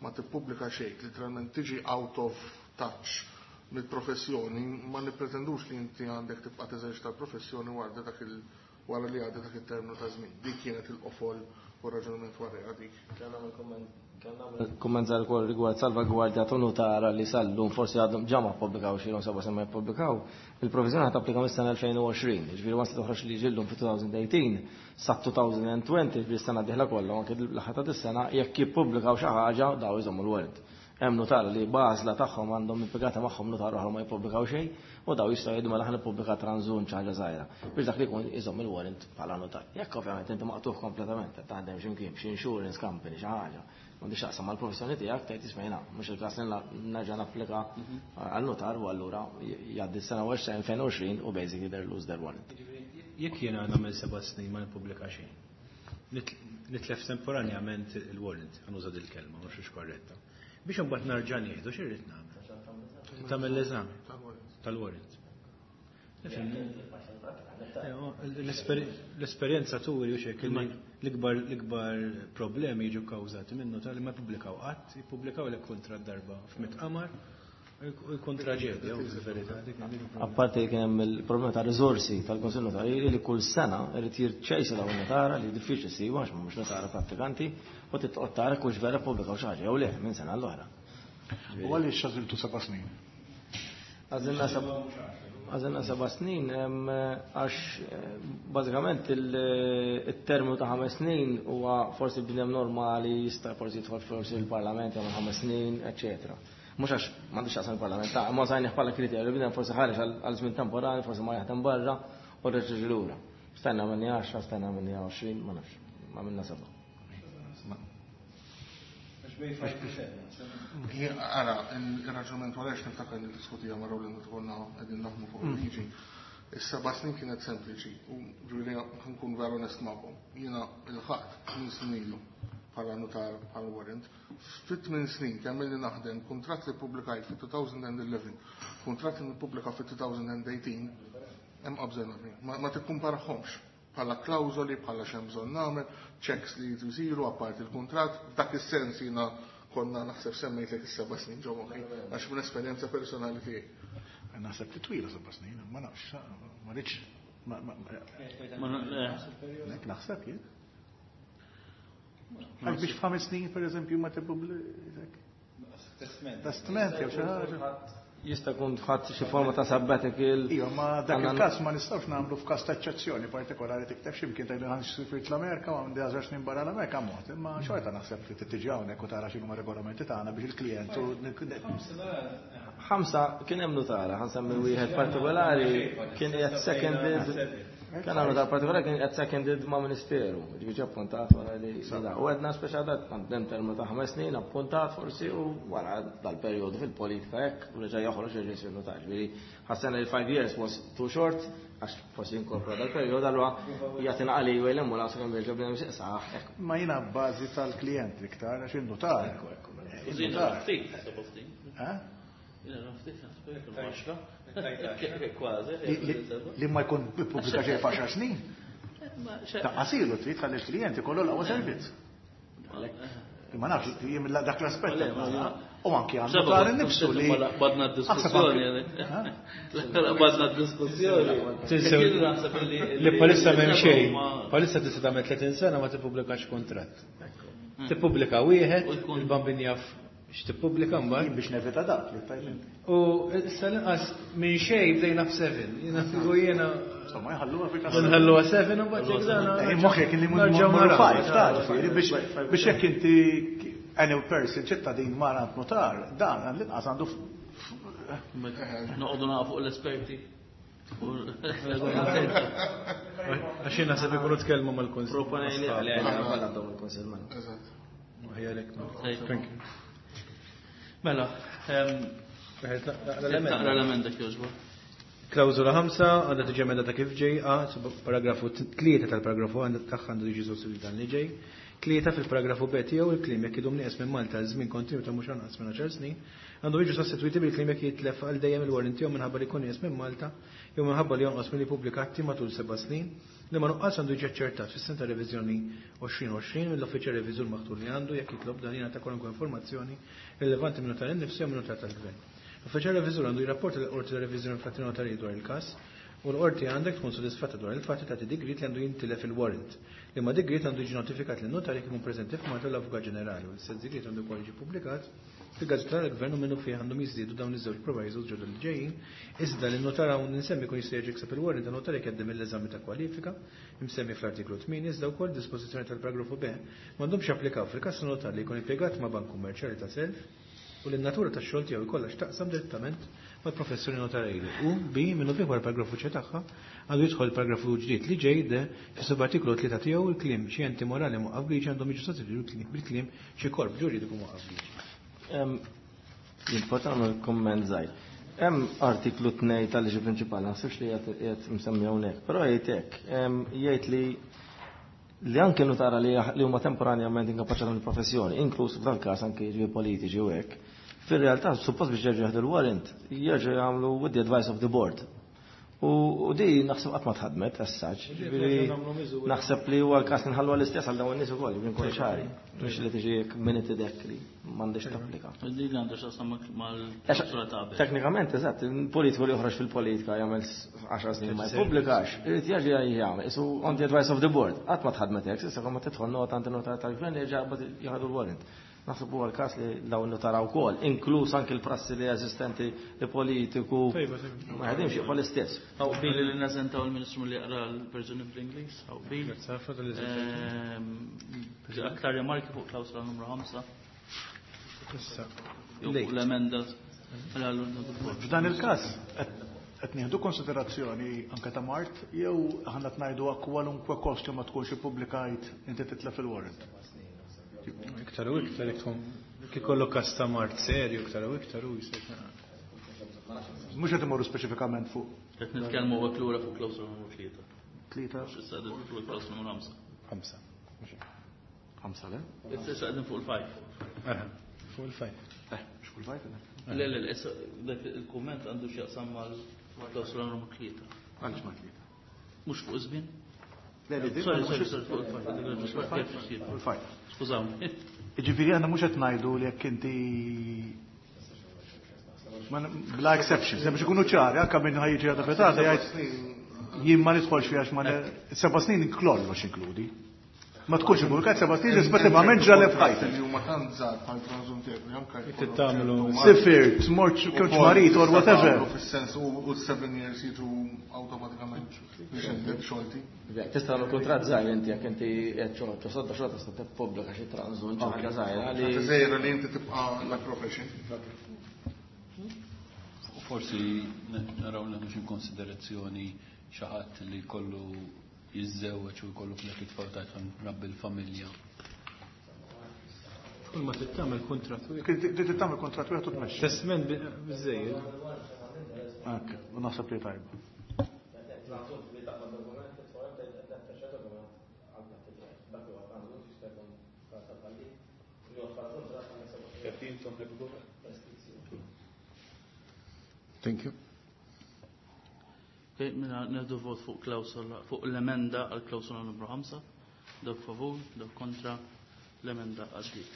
ma tippubblika xejn, literalment tiġi out of touch mill-professjoni, ma nippretendux li inti għandek tibqa' teżerċita l-professjoni wara dak il wara li għadda dak it-terminu ta' żmien. Dik kienet il-qofol u raġunament wara dik. Kumment żgħar ukoll rigward salvagwardja ta' nutara li sal-lum forsi għadhom ġa ma ppubblikaw xi seba' sena ma jippubblikaw, il-proviżjoni ħa tapplika mis-sena elfejn u għoxrin, jiġifieri once toħroġ liġi llum fi elfejn u tmintax sa elfejn u għoxrin, jiġifieri s-sena d-dieħla kollha, anke l-aħħar ta' dis-sena, jekk jippubblikaw xi ħaġa daw iżommu l-warrant. Hemm nutara li b'għażla tagħhom għandhom impjegata magħhom notar oħra ma jippubblikaw xejn, u daw jistgħu jgħidu mela ħa nippubblika tranżun xi ħaġa żgħira biex dak li jkun iżomm il-warrant bħala notar. Jekk ovvjament inti maqtugħ kompletament qed taħdem x'imkien xi insurance company xi ħaġa, m'għandix taqsam mal-professjoni tiegħek, tgħid isma' mhux il-każ li nerġa' napplika għal notar, u allura jgħaddi s-sena elfejn u għoxrin u basically they lose their warrant. Jekk jiena nagħmel seba' snin ma nippubblika xejn, nitlef temporanjament il-warrant, ħanuża dil-kelma, mhux korretta. Biex imbagħad narġa' nieħdu x'irrid nagħmel? Tagħmel l-eżami tal-warrant. L-esperjenza turi u xek l-ikbar l-ikbar problemi jiġu kkawżati minnu tal-li ma jippubblikaw qatt, jippubblikaw lek kontra darba f'mitt qamar, u jkun traġedja, u fil-verità. Apparti kien hemm il-problema ta' riżorsi tal-Kunsill Notarili li kull sena irid jirċejsa dawn notara li diffiċli ssibu għax mhux notara prattikanti, u titqgħod tara kux vera ppubblikaw xi ħaġa jew le minn sena l-oħra. U għaliex għażiltu seba' snin? Għażilna seba' Għażilna seba' snin għax bażikament il-terminu ta' ħames snin huwa forsi bnedem normali jista' forsi jidħol forsi il-Parlament jagħmel ħames snin, eċċetera. Mhux għax m'għandux x'jaqsam il-Parlament, ta' ma sajnih bħala kriterju, bnedem forsi ħareġ għal żmien temporali, forsi ma jaħdem barra u reġa' lura. Stajna minni għaxra, stajna minni għoxrin, ma nafx, ma minna seba'. Ara, il-raġunament wara għax niftakar li diskutija ma' Rowland meta konna qegħdin naħdmu fuq il-liġi. Is-seba' snin kienet sempliċi u ġifieri nkun vera onest magħkom. Jiena il-ħadd tmien snin ilu bħala notar bħala warrant. Fit tmien snin kemm illi naħdem kuntratt li ppubblikajt fit elfejn u għaxra, kuntratt li nippubblika fit elfejn u tmintax, hemm qabża enormi. Ma tikkumparahomx bħala klawżoli, bħala x'hemm bżonn nagħmel, checks li jridu jsiru apparti il-kuntratt. F'dak is-sens jiena konna naħseb semmejtlek is-seba' snin ġo moħħi, għax minn esperjenza personali tiegħi. Naħseb li twila seba' snin, ma nafx, ma rridx. Nek naħseb jien. Għax biex f'ħames snin, per eżempju, ma tippubblika. Testament. Testament jew xi ħaġa. Jista' jkun ħadd xi forma ta' sabbatical. Iva, ma dak il-każ ma nistgħux nagħmlu f'każ ta' eċċezzjoni partikolari tikteb x'imkien tgħidu ħan sifirt l-Amerika u għandi għaxar snin barra l-Amerika mod, imma xorta naħseb li tiġi hawnhekk u tara x'inhuma regolamenti tagħna biex il-klijent u Ħamsa kien hemm notara, ħansemmi wieħed partikolari kien qiegħed seconded Kien għamlu notar partikolari kien qed seconded ma' ministeru, ġifieri appuntat wara li da. U għedna speċa dat għandem termu ta' ħames snin appuntat forsi u wara dal-perjodu fil-politika hekk u reġa' joħroġ reġa' jsir notar. Ġifieri ħassena li five years was too short għax forsi inkorpora dal-perjodu allura jagħtina għali u la sakemm jerġa' bnedem x'saħ hekk. Ma jiena bbażi tal-klijent iktar għax in-notar. Jiena ftit seba' snin. Eh? Jiena ftit naħseb għaxra. Kważi. Li ma jkun ippubblika xejn f'għaxar snin. Ta' qasilu trid tħalli l-klijent ikollu l-aqwa servizz. Ma nafx, jien dak l-aspett. U anki għandu tar innifsu li. Badna d-diskussjoni. Badna d-diskussjoni. Li palissa m'hemm xejn. Palissa tista' tagħmel tletin sena ma tippubblikax kuntratt. Tippubblika wieħed, il-bambin jaf x'tippubblika mbagħad. Biex nevita dak li tajt inti. U issa l-inqas minn xejn bdejna f'seven. Jiena figu jiena. Insomma, jħalluha fi każ. Nħalluha seven u mbagħad jekk dan. Moħħek li mmorru five ta' ġifieri biex biex jekk inti any person ċittadin mar għand notar, dan l-inqas għandu noqogħdu naqgħu fuq l-esperti. Għax jien naħseb ikunu tkellmu mal-Kunsill. Proponejni li għandna dawn il-Kunsill mela. Eżatt. Ħajalek. Thank you. Mela, naqra l-emenda kjoġba. Klawżola ħamsa għandha tiġi emendata kif ġej, A, paragrafu tlieta tal-paragrafu għandha tagħha għandu jiġi sostituit dan li ġej. Tlieta fil-paragrafu B tiegħu il-kliem jekk idum nieqes minn Malta għal żmien kontinwu ta' mhux anqas minn għaxar snin, għandu jiġu sostituiti bil-kliem jekk jitlef għal dejjem il-warrant tiegħu minħabba li jkun nieqes minn Malta jew minħabba li jonqos milli jippubblika atti matul seba' snin, li ma nuqqas għandu jiġi aċċertat fis-sena ta' reviżjoni għoxrin għoxrin mill-uffiċjal reviżur maħtur li għandu jekk jitlob dan jingħata kwalunkwe informazzjoni rilevanti minn notar innifsu jew minn notar tal-gvern. L-uffiċjal reviżur għandu jirrapporta lill-qorti ta' reviżjoni fl-atti notarji dwar il-każ u l-qorti għandek tkun sodisfatta dwar il-fatt li tagħti digriet li għandu jintilef il-warrant. Li ma digriet għandu jiġi notifikat lin notar jekk ikun preżenti f'Malta l-Avukat Ġenerali u l-istess digriet għandu wkoll jiġi ppubblikat fil-Gazzetta tal-Gvern u minnu fih għandhom jiżdiedu dawn iż-żewġ provisos ġodda li ġejjin, iżda li n-notar hawn insemmi jkun jista' jerġa' jikseb il-warrant ta' notar jekk jgħaddi mill-eżami ta' kwalifika imsemmi fl-artiklu tmien iżda wkoll dispożizzjoni tal-paragrafu B m'għandhomx japplikaw fil-każ ta' notar li jkun impjegat ma' bank kummerċjali ta' self u li n-natura tax-xogħol tiegħu jkollha x'taqsam direttament mal-professjoni notarili. U B minnu fih wara paragrafu C tagħha għandu jidħol paragrafu ġdid li ġej de fis-subartiklu tlieta tiegħu il-kliem xi enti morali mwaqqaf bliġi għandhom jiġu sostituti bil-kliem xi korp ġuridiku mwaqqaf bliġi. Jien nagħmel kumment żgħir. Hemm artiklu tnejn tal-liġi prinċipali, naħsibx li qiegħed msemmi hawnhekk, però jgħid hekk, jgħid li li anke notara li huma temporanjament inkapaċitati mill-professjoni, inkluż f'dan każ anke jiġri politiċi u hekk, fir-realtà suppost biex jerġgħu jaħdu l-warrant, jerġgħu jagħmlu with the advice of the board. U di naħseb qatt ma tħadmet as such. Naħseb li huwa l-każ li nħallu l-istess għal dawn in-nies ukoll, jiġifieri nkunu ċari. Mhux li tiġi minute dek li m'għandix tapplika. Din għandha x'taqsam mal-klawsola ta' qabel. Teknikament, eżatt, politiku li joħroġ fil-politika jagħmel għaxar snin ma jippubblikax, irid jerġa' jagħmel, isu on the advice of the board. Qatt ma tħadmet hekk, issa ma tidħol nota għand in-notar tal-gvern jerġa' jieħdu l-warrant. Naħseb huwa l-każ li dawn notara wkoll, inkluż anke l-prassi li eżistenti li politiku ma jaħdimx jibqa' l-istess. Hawn qbil li nażentaw il-Ministru li jaqra l-verżjoni bl-Ingliż, hawn qbil. Aktar rimarki fuq klawsola numru ħamsa. Jew fuq l-emenda. F'dan il-każ qed nieħdu konsiderazzjoni anke ta' mart jew aħna qed ngħidu kwalunkwe kost li ma tkunx ippubblikajt inti titlef il-warrant. Iktar u iktar jekk tkun kif każ ta' mart serju iktar u iktar u jsir. Mhux qed imorru speċifikament fuq. Qed nitkellmu hekk lura fuq klawsola numru tlieta. Tlieta. Issa qegħdin fuq klawsola numru ħamsa. Ħamsa. Ħamsa le? Issa qegħdin fuq il-five. Fuq il-five. Eh, mhux fuq il-five. Le le, issa dak il-kumment għandu x'jaqsam mal-klawsola numru tlieta. Għaliex ma tlieta? Mhux fuq iż-żmien? Le, le, Sorry, sorry, sorry, fuq il-five. Fuq il-five. Skużawni. Jiġifieri aħna mhux qed ngħidu li jekk inti bla exceptions, biex ikunu ċari, anke minn ħajġi għadha fetata jgħid jien ma nidħolx fiha għax ma seba' snin kollox inkludi. Ma tkunx ippubblikat seba' snin rispettivament ġralek f'ħajtek. Li huma tant żgħar bħal tranżum tiegħek li anke Tagħmlu sifirt, mort kont marit or whatever. Fis-sens u seven years jiġu awtomatikament biex inti xolti. Tista' tagħmel kuntratt żgħir inti jekk inti qed xogħol sodda xogħol tista' tippubblika xi tranżun xi ħaġa żgħira li żgħira li inti tibqa' la profession. Forsi naraw li mhux in konsiderazzjoni xi ħadd li jkollu jiżżewweġ u jkollu flek jitfgħu tajt rabbi l-familja. Kull ma trid tagħmel kuntratt wieħed. Trid tagħmel kuntratt wieħed u tmexxi. Testment biżejjed. Hekk, u naħseb li tajba. Thank you. Okay, mela nieħdu vot fuq klawsola fuq l-emenda għal klawsola numru ħamsa. Dawk favur, dawk kontra, l-emenda għaddiet.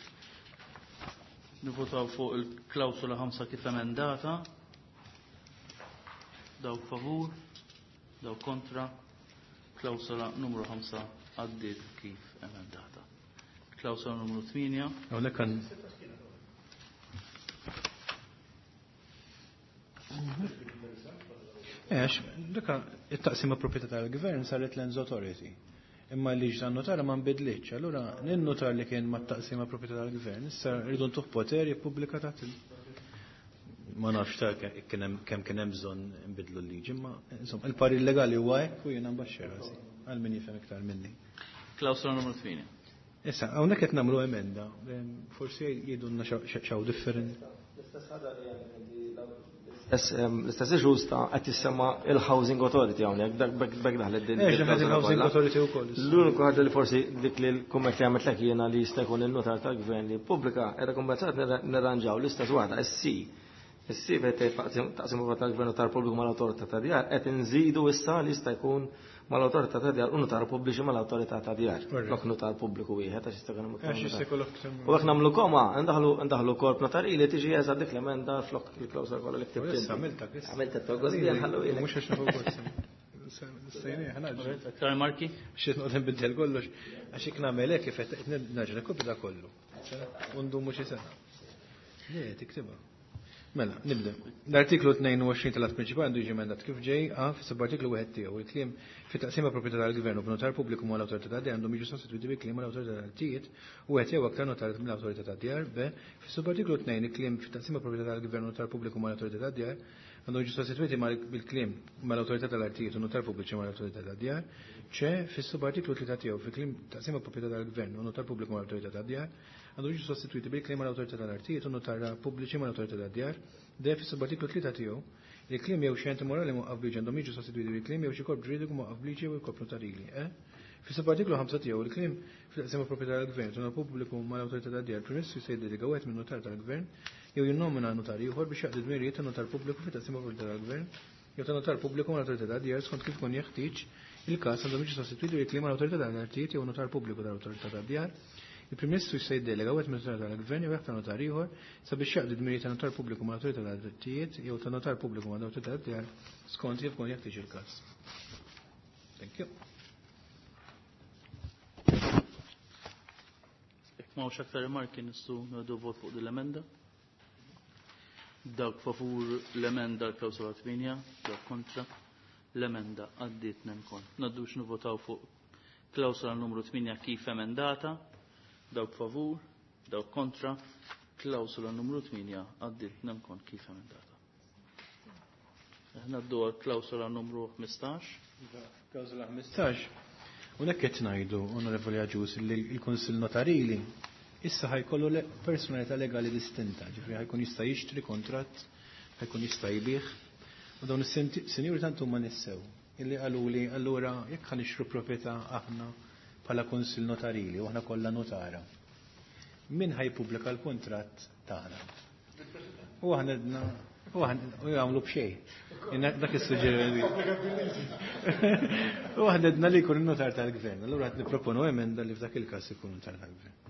Nivvotaw fuq il-klawsola ħamsa kif emendata. Dawk favur, dawk kontra, klawsola numru ħamsa għaddiet kif emendata. Klawsola numru tmienja. Hawnhekk għan Eħx, daka it-taqsima proprjetà tal-gvern saret Lands Authority. Imma l-liġi tan-notara ma nbidlitx. Allura n-notar li kien mat-taqsima proprjetà tal-gvern, issa rridu ntuh poter jippubblika taħt il- ma nafx ta' kemm kien hemm bżonn nbidlu l-liġi, imma insomma il-parir legali huwa hekk u jiena nbaxxer rasi għal min jifhem iktar minni. Klawsola numru tmienja. Issa, hawnhekk qed nagħmlu emenda, forsi jgħidulna x'hawn differenti. L-istess ħaġa li għandek inti l-istess issues ta' qed tissemma il-Housing Authority hawnhekk, dak bekk daħlet din. Eh, il-Housing Authority wkoll. L-uniku ħaġa li forsi dik li l-kumment li għamilt lek jiena li jista' jkun il-notar tal-gvern li pubblika qiegħda kumpensaat nirranġaw l-istess waħda, is-C. Is-C fejn tgħid taqsim tal-gvern notar pubbliku mal-awtorità ta' djar qed inżidu issa li jista' jkun mal-awtorità ta' djar u notar pubbliċi mal-awtorità ta' djar. Flok notar pubbliku wieħed għax jista' jkun hemm. U jekk nagħmlu koma, ndaħlu ndaħlu korp notarili tiġi eżatt dik l-emenda flok il-klawsola kollha li ktibt. Issa għamilta issa. Għamilta togos li nħallu ilek. Mhux għax nafu Sejni, ħanaġ. Aktar marki? Xi noqgħod nbiddel kollox għax jekk nagħmel hekk kif qed naġra kopja da kollu. U ndumu xi sena. Le, tiktibha. Mela, nibda. L-artiklu tnejn u għoxrin tal-att prinċipali għandu jiġi emendat kif ġej A fis-subartiklu wieħed tiegħu. Il-kliem fit-taqsima proprjetà tal-gvern u b'notar pubbliku mal-awtorità tad-djar għandhom jiġu sostitwiti bi kliem mal-awtorità tal-artijiet u wieħed jew aktar notar mill-awtorità tad-djar. B fis-subartiklu tnejn il-kliem fit-taqsima proprjetà tal-gvern u notar pubbliku mal-awtorità tad-djar għandhom jiġu sostitwiti bil-kliem mal-awtorità tal-artijiet u notar pubbliċi mal-awtorità tad-djar. C fis-subartiklu tlieta tiegħu fil-kliem taqsima proprjetà tal-gvern u notar pubbliku mal-awtorità tad-djar għandu jiġu sostitwiti bil-kliem mal-awtorità tal-artijiet u notar pubbliċi mal-awtorità tad-djar. D fis-subartiklu tlieta tiegħu il-kliem jew xi enti morali mwaqqaf bliġi għandhom jiġu sostitwiti bil-kliem jew xi korp ġuridiku mwaqqaf bliġi jew il-korp notarili. E fis-subartiklu ħamsa tiegħu il-kliem fil-taqsima proprjetà tal-gvern u notar pubbliku mal-awtorità tad-djar il-Prim Ministru jista' jiddelega wieħed minn notar tal-gvern jew jinnomina notar ieħor biex jaqdi dmirijiet ta' notar pubbliku fit-taqsima proprjetà tal-gvern jew ta' notar pubbliku mal-awtorità tad-djar skont kif ikun jeħtieġ il-każ għandhom jiġu sostitwiti bil-kliem mal-awtorità tal-artijiet jew notar pubbliku tal-awtorità tad-djar. Il-Prim Ministru jista' jiddelega wieħed minn notar tal-gvern jew jaħtar notar ieħor sabiex jaqdi dmirijiet ta' notar pubbliku mal-awtorità tad-drittijiet jew ta' notar pubbliku mal-awtorità tad-djar skont kif ikun jeħtieġ il-każ. Thank you. Jekk m'hawnx aktar rimarki nistgħu nieħdu vot fuq din l-emenda. Dawk favur l-emenda l-klawsola tmienja, dawk kontra l-emenda għaddiet nemkon. Ngħaddu biex nivvotaw fuq klawsola numru tmienja kif emendata. Dawk favur, dawk kontra, klawsola numru tmienja għaddiet nemkon kif emendata. Ngħaddu għal klawsola numru ħmistax. Klawsola ħmistax. Hawnhekk qed ngħidu, Onorevoli Agius, li l-Kunsill Notarili issa ħajkollu personalità legali distinta, ġifieri ħajkun jista' jixtri kontratt, ħajkun jista' jbigħ. U dawn is-sinjuri tant huma nissew illi qaluli allura jekk ħanixtru proprjetà aħna bħala Kunsill Notarili u aħna kollha notara. Min ħajpubblika l-kuntratt tagħna? U aħna għedna u aħna u jagħmlu b'xejn. Dak is-suġġeriment. U aħna għedna li jkun in-notar tal-gvern. Allura qed nipproponu emenda li f'dak il-każ ikun notar tal-gvern.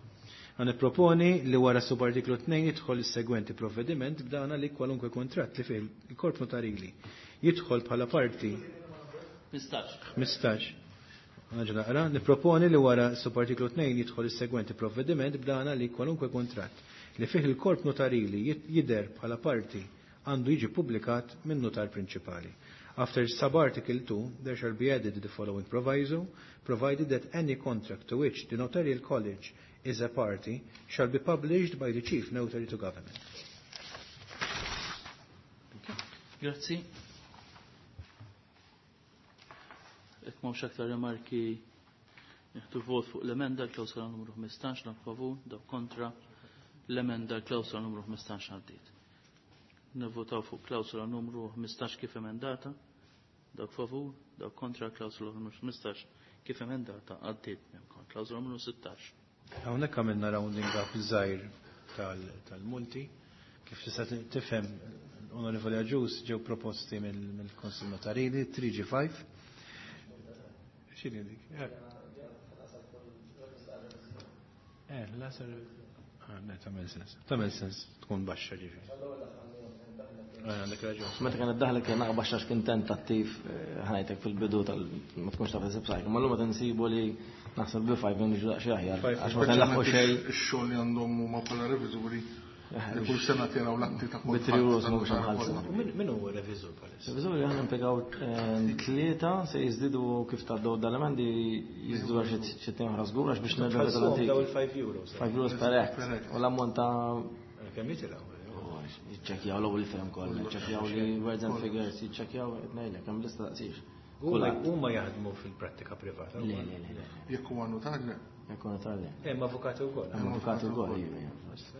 Għan nipproponi li wara subartiklu tnejn jidħol is-segwenti provvediment b'dana li kwalunkwe kuntratt li fih il-korp notarili jidħol bħala parti ħmistax. Għanġa naqra, nipproponi li wara subartiklu tnejn jidħol is-segwenti provvediment b'dana li kwalunkwe kuntratt li fih il-korp notarili jidher bħala parti għandu jiġi pubblikat minn notar prinċipali. After subarticle two, there shall be added the following proviso, provided that any contract to which the notarial college is a party shall be published by the chief notary to government. Grazzi. Jekk m'hawnx aktar rimarki, nieħdu vot fuq l-emenda l-klawsola numru ħmistax, dak favur, dak kontra, l-emenda l-klawsola numru ħmistax għaddiet. Nivvotaw fuq klawsola numru ħmistax kif emendata, dak favur, dak kontra, klawsola numru ħmistax kif emendata għaddiet. Klawsola numru sittax. Hawnhekk għamilna rounding up żgħir tal-multi. Kif tista' tifhem, Onorevoli Agius, ġew proposti mill-Konsil Notarili three G five. X'inhi dik? Eh, l-asar. Ah, ne, tagħmel sens. Tagħmel sens tkun baxxa ġifieri. Għandek raġun. Meta kien iddaħlek kien naqra baxxa kien tentattiv ħajtek fil-bidu tal ma tkunx taf isib sajk. Imma llum meta nsibu li naħseb bi five niġu daqsxejn aħjar. Għax ma tenlaħqu xejn. Ix-xogħol li għandhom huma bħala reviżuri li kull sena tiraw l-atti ta' Bi three euros mhux nħallsu. Min huwa reviżur bħalissa? Reviżuri aħna impjegaw tlieta se jiżdiedu kif tgħaddew dal-emendi jiżdiedu għal xi tnejn oħra żgur għax biex nerġgħu tal-antiki. Daw il-five euros. Five euros per act. U l-ammont ta' kemm jitilgħu? Jiċċekkjaw l-ewwel firm kollha, jiċċekkjaw li words and figures, jiċċekkjaw qed ngħidlek hemm lista daqsix. Huma jaħdmu fil-prattika privata. Le, le, le. Jekk huwa notar le. Jekk huwa notar le. Hemm avukati wkoll. Hemm avukati wkoll, iva.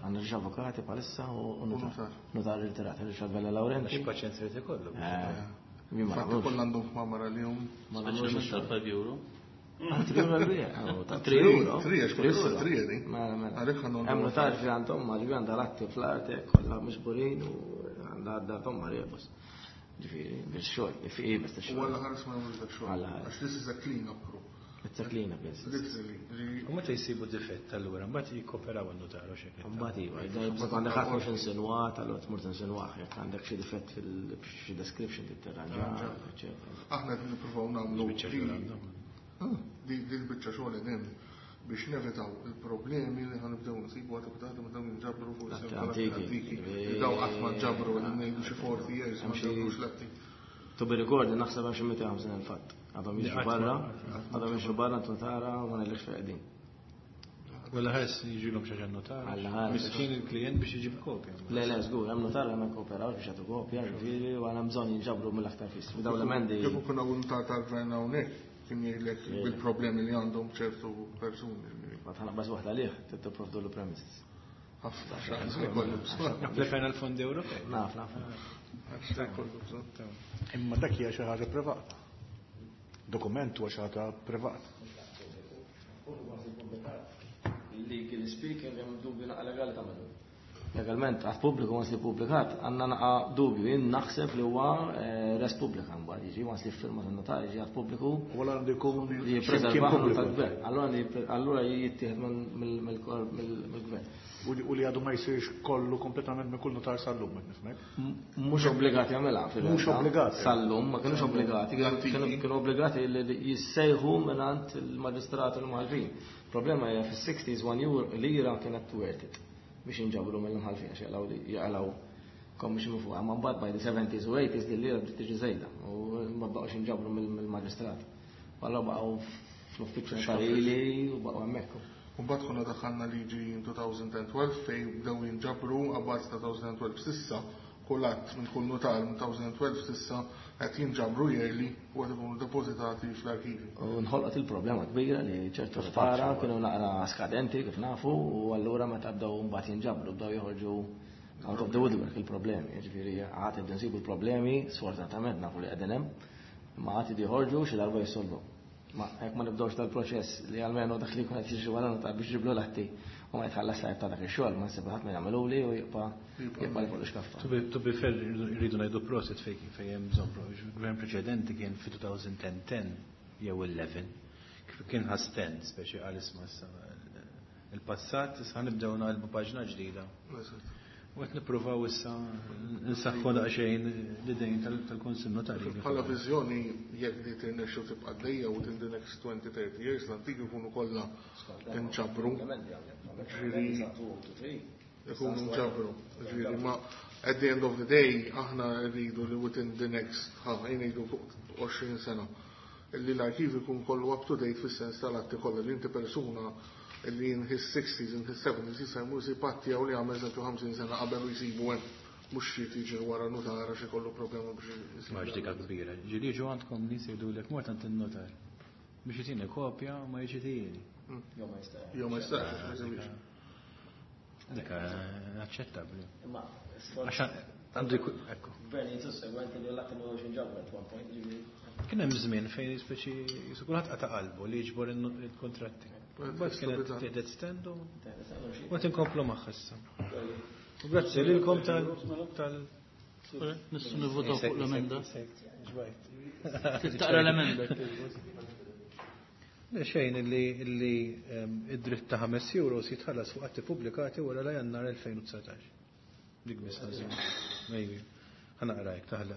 Għandna xi avukati bħalissa u notar. Notar irtirat, Richard Vella Laurenti. Xi paċenzja li ikollu. Infatti kollha għandhom kmamar għalihom. Speċjalment tal-five euro. Tri euro l-bija. Tri euro. Tri, għax kull tri di. Mela, mela. Għalhekk għandhom. Hemm notar fi għandhom ma ġbi għandha l-atti fl-art kollha miġburin u għandha għadda tomma rebus. Ġifieri, biex xogħol, fi bes ta' xogħol. U għalla ħares ma jagħmlux dak xogħol. Għax this is a clean up crew. It's a clean up, yes. Literally. U meta jsibu difett allura, mbagħad jikkoperaw għan-notar u x'hekk. Mbagħad iva, jibżgħu għandek ħadd mhux insinwat, allura tmur tinsinwah, jekk għandek xi difett fil-xi description titterranġa, eċċetera. Aħna qed nippruvaw nagħmlu di l-biċċa xogħol qegħdin biex nevitaw il-problemi li ħanibdew nsibu għad bdata ma dawn jinġabru fuq is-antiki. Daw qatt ma ġabru li ngħidu xi forty years ma ġabrux l-atti. To be recorded naħseb hemm xi mitejn ħamsin il-fatt. Għadhom jiġu barra, għadhom jiġu barra tara u ma ngħidlekx fejn qegħdin. Wella ħares jiġilhom xi ħaġa notar. Miskin il-klient biex iġib kopja. Le, le, żgur, hemm notar hemm kooperaw biex jagħtu kopja, ġifieri u għandna bżonn jinġabru mill-aktar fis. Dawn l-emendi. Kif ikun hawn notar tal-gvern hawnhekk kien jgħidlek bil-problemi li għandhom ċertu persuni. Ma tħanaqbas waħda għalih, tipprovdu l premises. Ħafna x'għandu jkollu bżonn. Applikajna l-fondi Ewropej. Naf, naf. Imma dak hija xi ħaġa privata. Dokument huwa xi ħaġa privata. Legally speaking, hemm dubju naqa' legali tagħmlu. Legalment, għad pubbliku once li ppubblikat, għandna naqa' dubju, jien naħseb li huwa res pubblika mbagħad jiġi once li ffirma tan-notar jiġi għad pubbliku. U allura għandu jkun li jippreservah tal-gvern. Allura jittieħed mill-gvern. U li għadu ma jsirx kollu kompletament minn kull notar sal-lum, qed nifhmek? Mhux obbligati jagħmilha fil Mhux obbligati. Sal-lum, ma kinux obbligati, kienu obbligati li jissejħu mingħand il-maġistrat u l-imħallfin. Problema hija fis-sixties one euro lira kienet worth it biex jinġabru mill-imħallfin għax jaqlaw jaqlaw commission fuq. Imma mbagħad by the seventies u eighties din lira bdiet tiġi żejda u ma baqgħux jinġabru mill-maġistrat. Allura baqgħu fl-uffiċċju notarili u baqgħu hemmhekk. U mbagħad konna daħħalna liġi in two thousand twelve fejn bdew jinġabru abbażi ta' two thousand twelve s'issa kull att minn kull notar minn two thousand twelve s'issa qed jinġabru yearly u qed ikunu depożitati fl-arkivi. U nħolqot il-problema kbira li ċertu notara kienu naqra skadenti kif nafu u allura meta bdew mbagħad jinġabru bdew joħorġu out of the woodwork il-problemi. Jiġifieri għad ibdew nsibu l-problemi, sfortunatament nafu li qegħdin hemm, imma għad joħorġu xi darba jissolvu. Ma jekk ma nibdewx dal-proċess li almenu dak li jkun qed jiġri wara notar biex ġiblu l-atti u ma jitħallas tajb ta' dak ix-xogħol, ma nsib ħadd ma jagħmeluli u jibqa' jibqa' li fuq l-iskaffa. To be fair, rridu ngħidu prosit fejn fejn hemm bżonn prosit. Gvern preċedenti kien fi two thousand ten ten jew eleven, kif kien ħas ten, speċi qal isma' issa il-passat, issa nibdew naqilbu paġna ġdida. U qed nippruvaw issa nsaħħu daqsxejn l-idejn tal-Kunsill Notarili. Bħala viżjoni jekk di tirnexxu tibqa' għaddejja within the next twenty thirty years l-antiki jkunu kollha inġabru. Ġifieri ikunu nġabru. Ġifieri ma at the end of the day aħna rridu li within the next ħa ngħidu fuq għoxrin sena illi l-arkiv ikun kollu up to date fis-sens tal-atti kollha li inti persuna illi in his sixties, in his seventies, jista' jmur jsib atti jew li għamel eżempju ħamsin sena qabel u jsibu hemm. Mhux xi tiġi wara notar għax ikollu problema biex jisibu. Ma ġdika kbira. Ġieli ġu għandkom nies jgħidulek mort għand in-notar. Biex jtini kopja u ma jġitini. Jew ma jistax. Jew ma jistax, ma jsewwix. Dik aċċettabbli. Imma Għax għandu jkun, ekku. Gvern sussegwenti li l-att imma ġabru at one point, ġifieri. Kien hemm żmien fejn speċi jisu kulħadd qata' qalbu li jiġbor il-kontratti. Mbagħad kienet tieħdet stand u u qed inkomplu magħha issa. U grazzi lilkom tal tal Nistgħu nivvotaw fuq l-emenda. Taqra l-emenda. Le xejn illi illi id-dritt ta' ħames euros jitħallas fuq atti pubblikati wara la Jannar elfejn u dsatax. Dik biss ħażin. Maybe. Ħa naqra hekk taħla.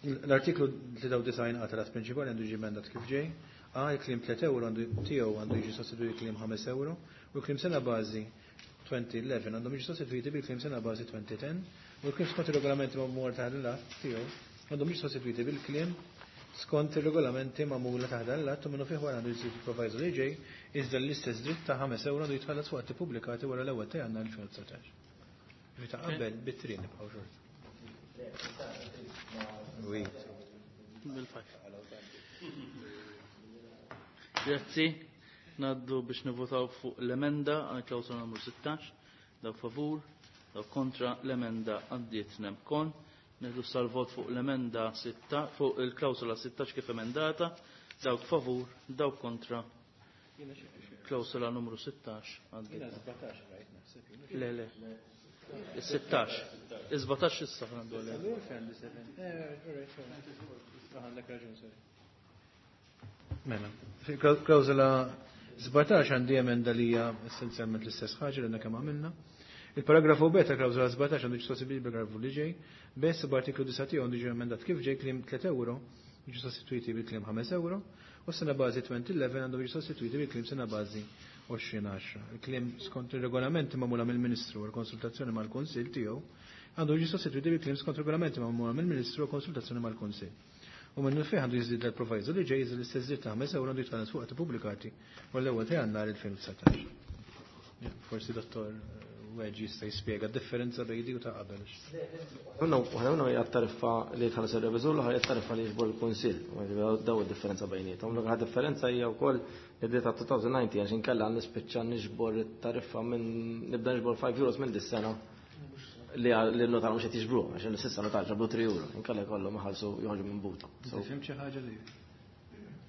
L-artiklu tlieta u disgħin A tal-att prinċipali għandu jiġi emendat kif ġej. A, il-kliem tliet euro għandu tiegħu għandu jiġi sostituit kliem ħames euro u l-kliem sena bażi twenty eleven għandhom jiġu sostituiti bil-kliem sena bażi twenty ten u l-kliem skont ir-regolamenti magħmul taħt l-att tiegħu għandhom jiġu sostituiti bil-kliem skont ir-regolamenti magħmula taħt l-att u minnu fih wara għandu jiġi proviso li ġej iżda l-istess dritt ta' ħames euro għandu jitħallas fuq atti pubblikati wara l-ewwel ta' Jannar elfejn u dsatax. Ġifieri ta' qabel bit-trin nibqgħu xorta. Oui. Bil-five. Grazzi. Naddu biex nivvotaw fuq l-emenda għal klawsola numru sittax. Dawk favur, dawk kontra, l-emenda għaddiet nemkon. Nieħdu sal-vot fuq l-emenda sitta, fuq il-klawsola sittax kif emendata. Dawk favur, dawk kontra. Klawsola numru sittax għaddiet. Le, le. Is-sittax. Is-sbatax issa għandu għalih. Mela, klawsola sbatax għandi emenda li hija essenzjalment l-istess ħaġa li għandna kemm għamilna. Il-paragrafu B ta' klawsola sbatax għandu jiġi sostituit bil-paragrafu li ġej. B subartiklu disa' tiegħu għandu jiġi emendat kif ġej, kliem tliet euro jiġu sostituiti bil-kliem ħames euro u sena bażi twenty eleven għandu jiġu sostituiti bil-kliem sena bażi għoxrin għaxra. Il-kliem skont ir-regolamenti magħmula mill-Ministru u l-konsultazzjoni mal-Kunsill tiegħu għandu jiġi sostituiti bil-kliem skont regolamenti magħmula mill-Ministru u konsultazzjoni mal-Kunsill. U minnu fih għandu jiżdied l-proviso li ġej jiżdied l-istess dritt ta' ħames euro għandu jitħallas fuq atti pubblikati u l-ewwel ta' Jannar elfejn u dsatax. Forsi dottor Weġ jista' jispjega d-differenza bejn di u ta' qabel. Minnu, waħda minnhom hija t-tariffa li jitħallas ir-reviżur, l-oħra hija t-tariffa li jiġbor il-Kunsill. Daw id-differenza bejniethom. L-oħra differenza hija wkoll li bdiet ta' two thousand nineteen għax inkella nispiċċa niġbor it-tariffa minn nibda niġbor five euros minn dis-sena li għal-, li n-notar mhux qed jiġbruh, għax s'issa notar ġabru three euro, inkella jkollhom iħallsu joħorġu minn buta. Inti fhimt xi ħaġa li?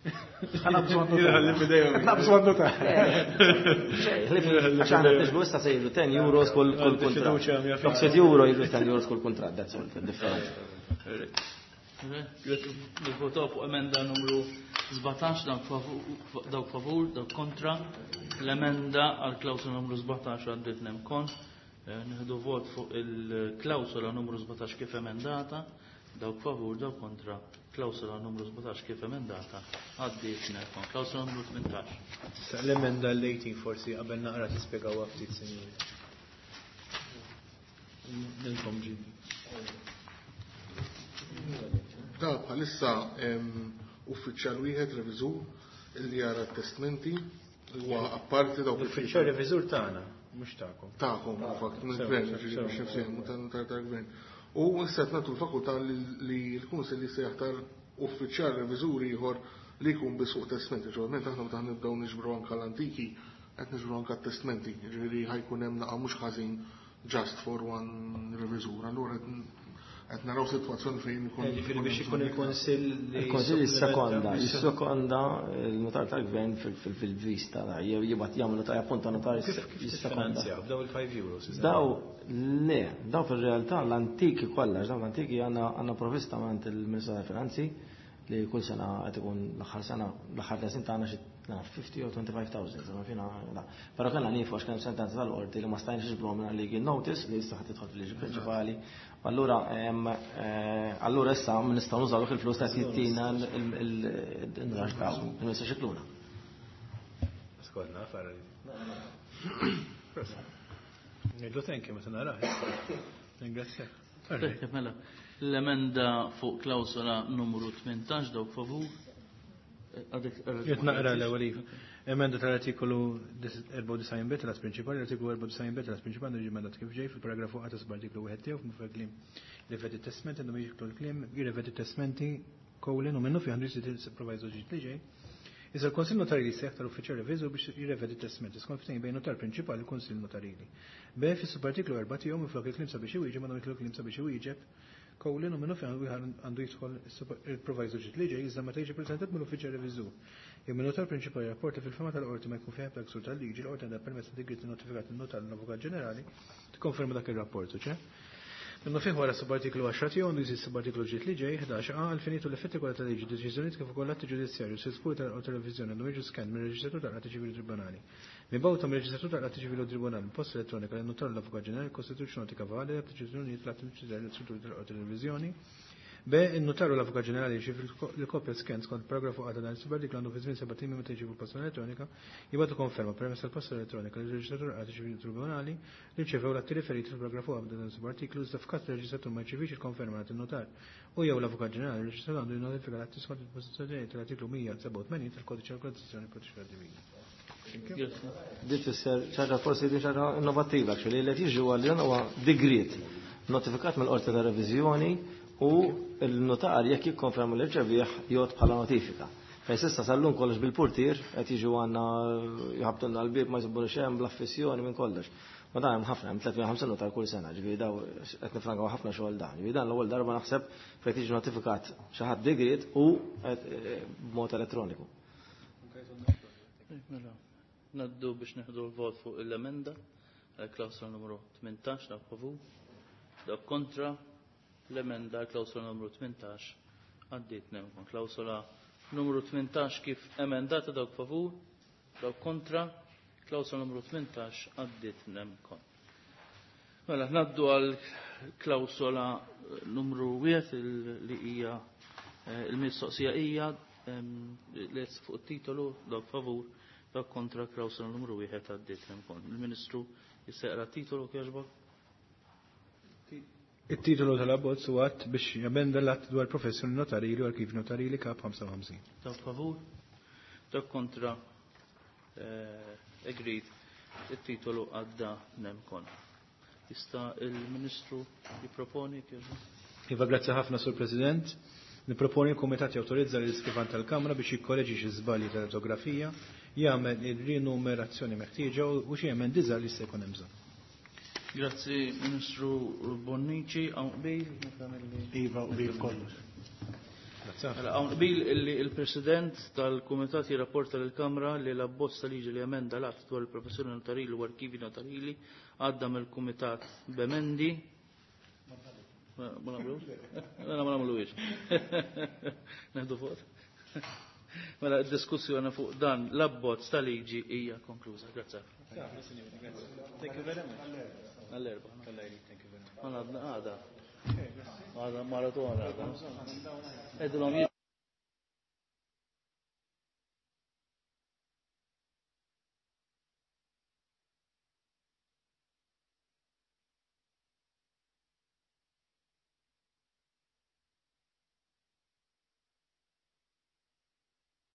Għandna bżonn notar. Għandna bżonn notar. Xejn, ħlif, għax aħna niġbru issa se jiġu ten euros kull, kull Għandi kuntratt. fiduċja mija fija. Dok sitt euro jiġu ten euros kull kuntratt, that's all, the difference. Nivvotaw fuq emenda numru sbatax, dawk favu-, dawk favur, dawk kontra. L-emenda għal klawsola numru sbatax għaddiet nemkon. Eh, nieħdu vot fuq il-klawsola numru sbatax kif emendata, dawk favur, dawk kontra. Klawsola numru sbatax kif emendata għaddiet nemkon. Klawsola numru tmintax. Issa l-emenda l-eighteen forsi qabel naqra tispjegawha ftit, sinjuri. Nilkom ġidi. Da bħalissa hemm uffiċjal wieħed reviżur illi jara t-testmenti huwa apparti dawk L-uffiċjal reviżur tagħna, mhux tagħkom. Tagħkom, fakt, minn Sew, gvern, sew, ġifieri sew. biex nifsehmu tal-, tal-gvern. U issa qed nagħtu l-fakultà li, li l-Kunsill jista' jaħtar uffiċjal reviżur ieħor li jkun biss fuq testmenti. Ġeneralment aħna meta nibdew niġbru anke l-antiki, qed niġbru anke t-testmenti, ġifieri ħajkun hemm naqa' mhux ħażin just for one reviżur. Allura qed qed naraw sitwazzjoni fejn ikun Eh, ġifieri biex ikun il-Kunsill li Il-Kunsill jissekonda, jissupplementa. jissekonda il-notar tal-gvern fil-, fil-, fil-vista, da, jew jibgħat jagħmlu notar, jappunta notar Kif, kif jissekonda. tiffinanzjaw? B'daw il-five euros, iżda? Daw, le, daw fil-realtà l-antiki kollha, daw l-antiki għandna, għandna provvista minn il-Ministru tal-Finanzi li kull sena qed ikun l-aħħar sena, l-aħħar tliet snin tagħna xi fifty jew twenty-five thousand, insomma fina, la. Però kellna niefu għax kien hemm sentenza tal-qorti li ma stajniex niġbruhom minn legal notice li issa ħadd tidħol fil-liġi prinċipali. Allura, ehm, eh, allura issa nistgħu nużaw il-flus ta' sittina il-nrax daw, il-Ministru Scicluna. Skodna, farra li. Ngħidlu thank you meta narah. Ringrazzjak. Tajjeb, mela. L-emenda fuq klawsola numru tmintax, dawk favur. Għadek, għadek. Jett naqra l-ewwel iva. Emenda tal-artikolu erbgħa u disgħin b tal-att prinċipali, l-artikolu erbgħa u disgħin b tal-att prinċipali għandu jiġi emendat kif ġej fil-paragrafu A ta' subartiklu wieħed tiegħu f'mufrag kliem rivedi testament għandhom jiġu l-kliem jirrivedi testamenti colon u minnu fi għandu jisir il-proviso ġdid li ġej. Iżda l-Kunsill Notarili se jaħtar uffiċjal reviżur biex jirrevedi t-testament skont ftehim bejn notar prinċipali u l-Kunsill Notarili. B fis-subartiklu erba' tiegħu minflok il-kliem sabiex iwieġeb għandu jidħol kliem sabiex iwieġeb Colin u minnu fejn għandu jidħol il-proviso ġdid li ġej iżda meta jiġi preżentat mill-uffiċjal reviżur. Jekk min-notar prinċipali rapport li fil-fehma tal-qorti ma jkun fih ebda ksur tal-liġi, l-qorti għandha permezz ta' digriet notifikat in-notar l-Avukat Ġenerali tikkonferma dak ir-rapport, ċe? Minnu fih wara subartiklu għaxra tiegħu għandu jżid subartiklu ġdid li ġej ħdax A għall-finijiet u l-effetti kollha tal-liġi, deċiżjonijiet kif ukoll atti ġudizzjarji u sitfuri tal-qorti reviżjoni għandhom jiġu skanned mir-Reġistratur tal-Qrati Ċivili Tribunali. Mibgħuta mir-Reġistratur tal-Qrati Ċivili u Tribunali b'posta elettronika lin-notar u l-Avukat Ġenerali jikkostitwixxu notika valida b'deċiżjonijiet l-atti ġudizzjarji l-istrutturi tal-Qorti Reviżjoni. B. In-notar u l-Avukat Ġenerali jirċievu l-kopja scan skont paragrafu A ta' dan is-subartiklu għandu fi żmien sebat ijiem meta jirċievu l-posta elettronika jibgħatu konferma permezz tal-posta elettronika lir-Reġistratur tal-Qrati Ċivili u Tribunali li rċevew l-atti riferiti fil-paragrafu A ta' dan is-subartiklu iżda f'każ li r-Reġistratur ma jirċevix il-konferma mingħand in-notar u jew l-Avukat Ġenerali, ir-Reġistratur għandu jinnotifika l-atti skont id-dispożizzjonijiet tal-artiklu mija u sebgħa u tmenin tal-Kodiċi tal-Organizzazzjoni Proċedurali Ċivili. Din tfisser ċaġa forsi din ċaġa innovattiva, actually, li qed jiġri huwa li dan huwa digriet notifikat mill-qorti ta' reviżjoni u l-notar jekk jikkonferma li rċevih jgħod bħala notifika. Fejn s'issa sal-lum kollox bil-portier qed jiġu għandna jħabtulna l-bieb ma jsibuna xejn bl-affissjoni minn kollox. Ma dan hemm ħafna, hemm tliet mija u ħamsin notar kull sena, ġifieri daw qed nifrankaw ħafna xogħol dan. Ġifieri dan l-ewwel darba naħseb fejn tiġi notifikat xi ħadd digriet u b'mod elettroniku. Mela, naddu biex neħdu l-vot fuq l-emenda għal klawsola numru tmintax, dak favur, dak kontra, l-emenda għal klawsola numru tmintax għaddiet nemkon. Klawsola numru tmintax kif emendata dawk favur, dawk kontra, klawsola numru tmintax għaddiet nemkon. Mela, naddu għal klawsola numru wieħed li hija il-mistoqsija hija li fuq it-titolu dawk favur, dawk kontra, klawsola numru wieħed għaddiet nemkon. Il-Ministru jista' titolu kieġbok? Il-titolu tal-abbozz huwa att biex jamenda l-att dwar professjoni notarili u arkiv notarili kap ħamsa u ħamsin. Dawk favur, dawk kontra, agreed, il-titolu għadda nemkon. Jista' il-Ministru jipproponi kieġbok? Iva, grazzi ħafna, Sur President. Niproponi l-Kumitat jawtorizza l-iskrivan tal-Kamra biex jikkoreġi xi żbalji tal-ortografija, jagħmel il-rinumerazzjoni meħtieġa u xi emendi żgħar li se jkun hemm bżonn. Grazzi, Ministru Bonnici. Hawn qbil? Iva, qbil kollox. Hawn qbil illi il-President tal-Kumitat jirrapporta lill-Kamra li l-abbozz ta' liġi li emenda l-att dwar il-professjoni notarili u arkivi notarili għadda mill-Kumitat b'emendi. Ma nagħmlux? Mela ma nagħmluhiex. Neħdu fuq. Mela d-diskussjoni fuq dan l-abbozz ta' liġi hija konkluża. Grazzi. Thank you very much. Għall-erba. Thank you very much. Għadna għada. Għada maratona. Għedilhom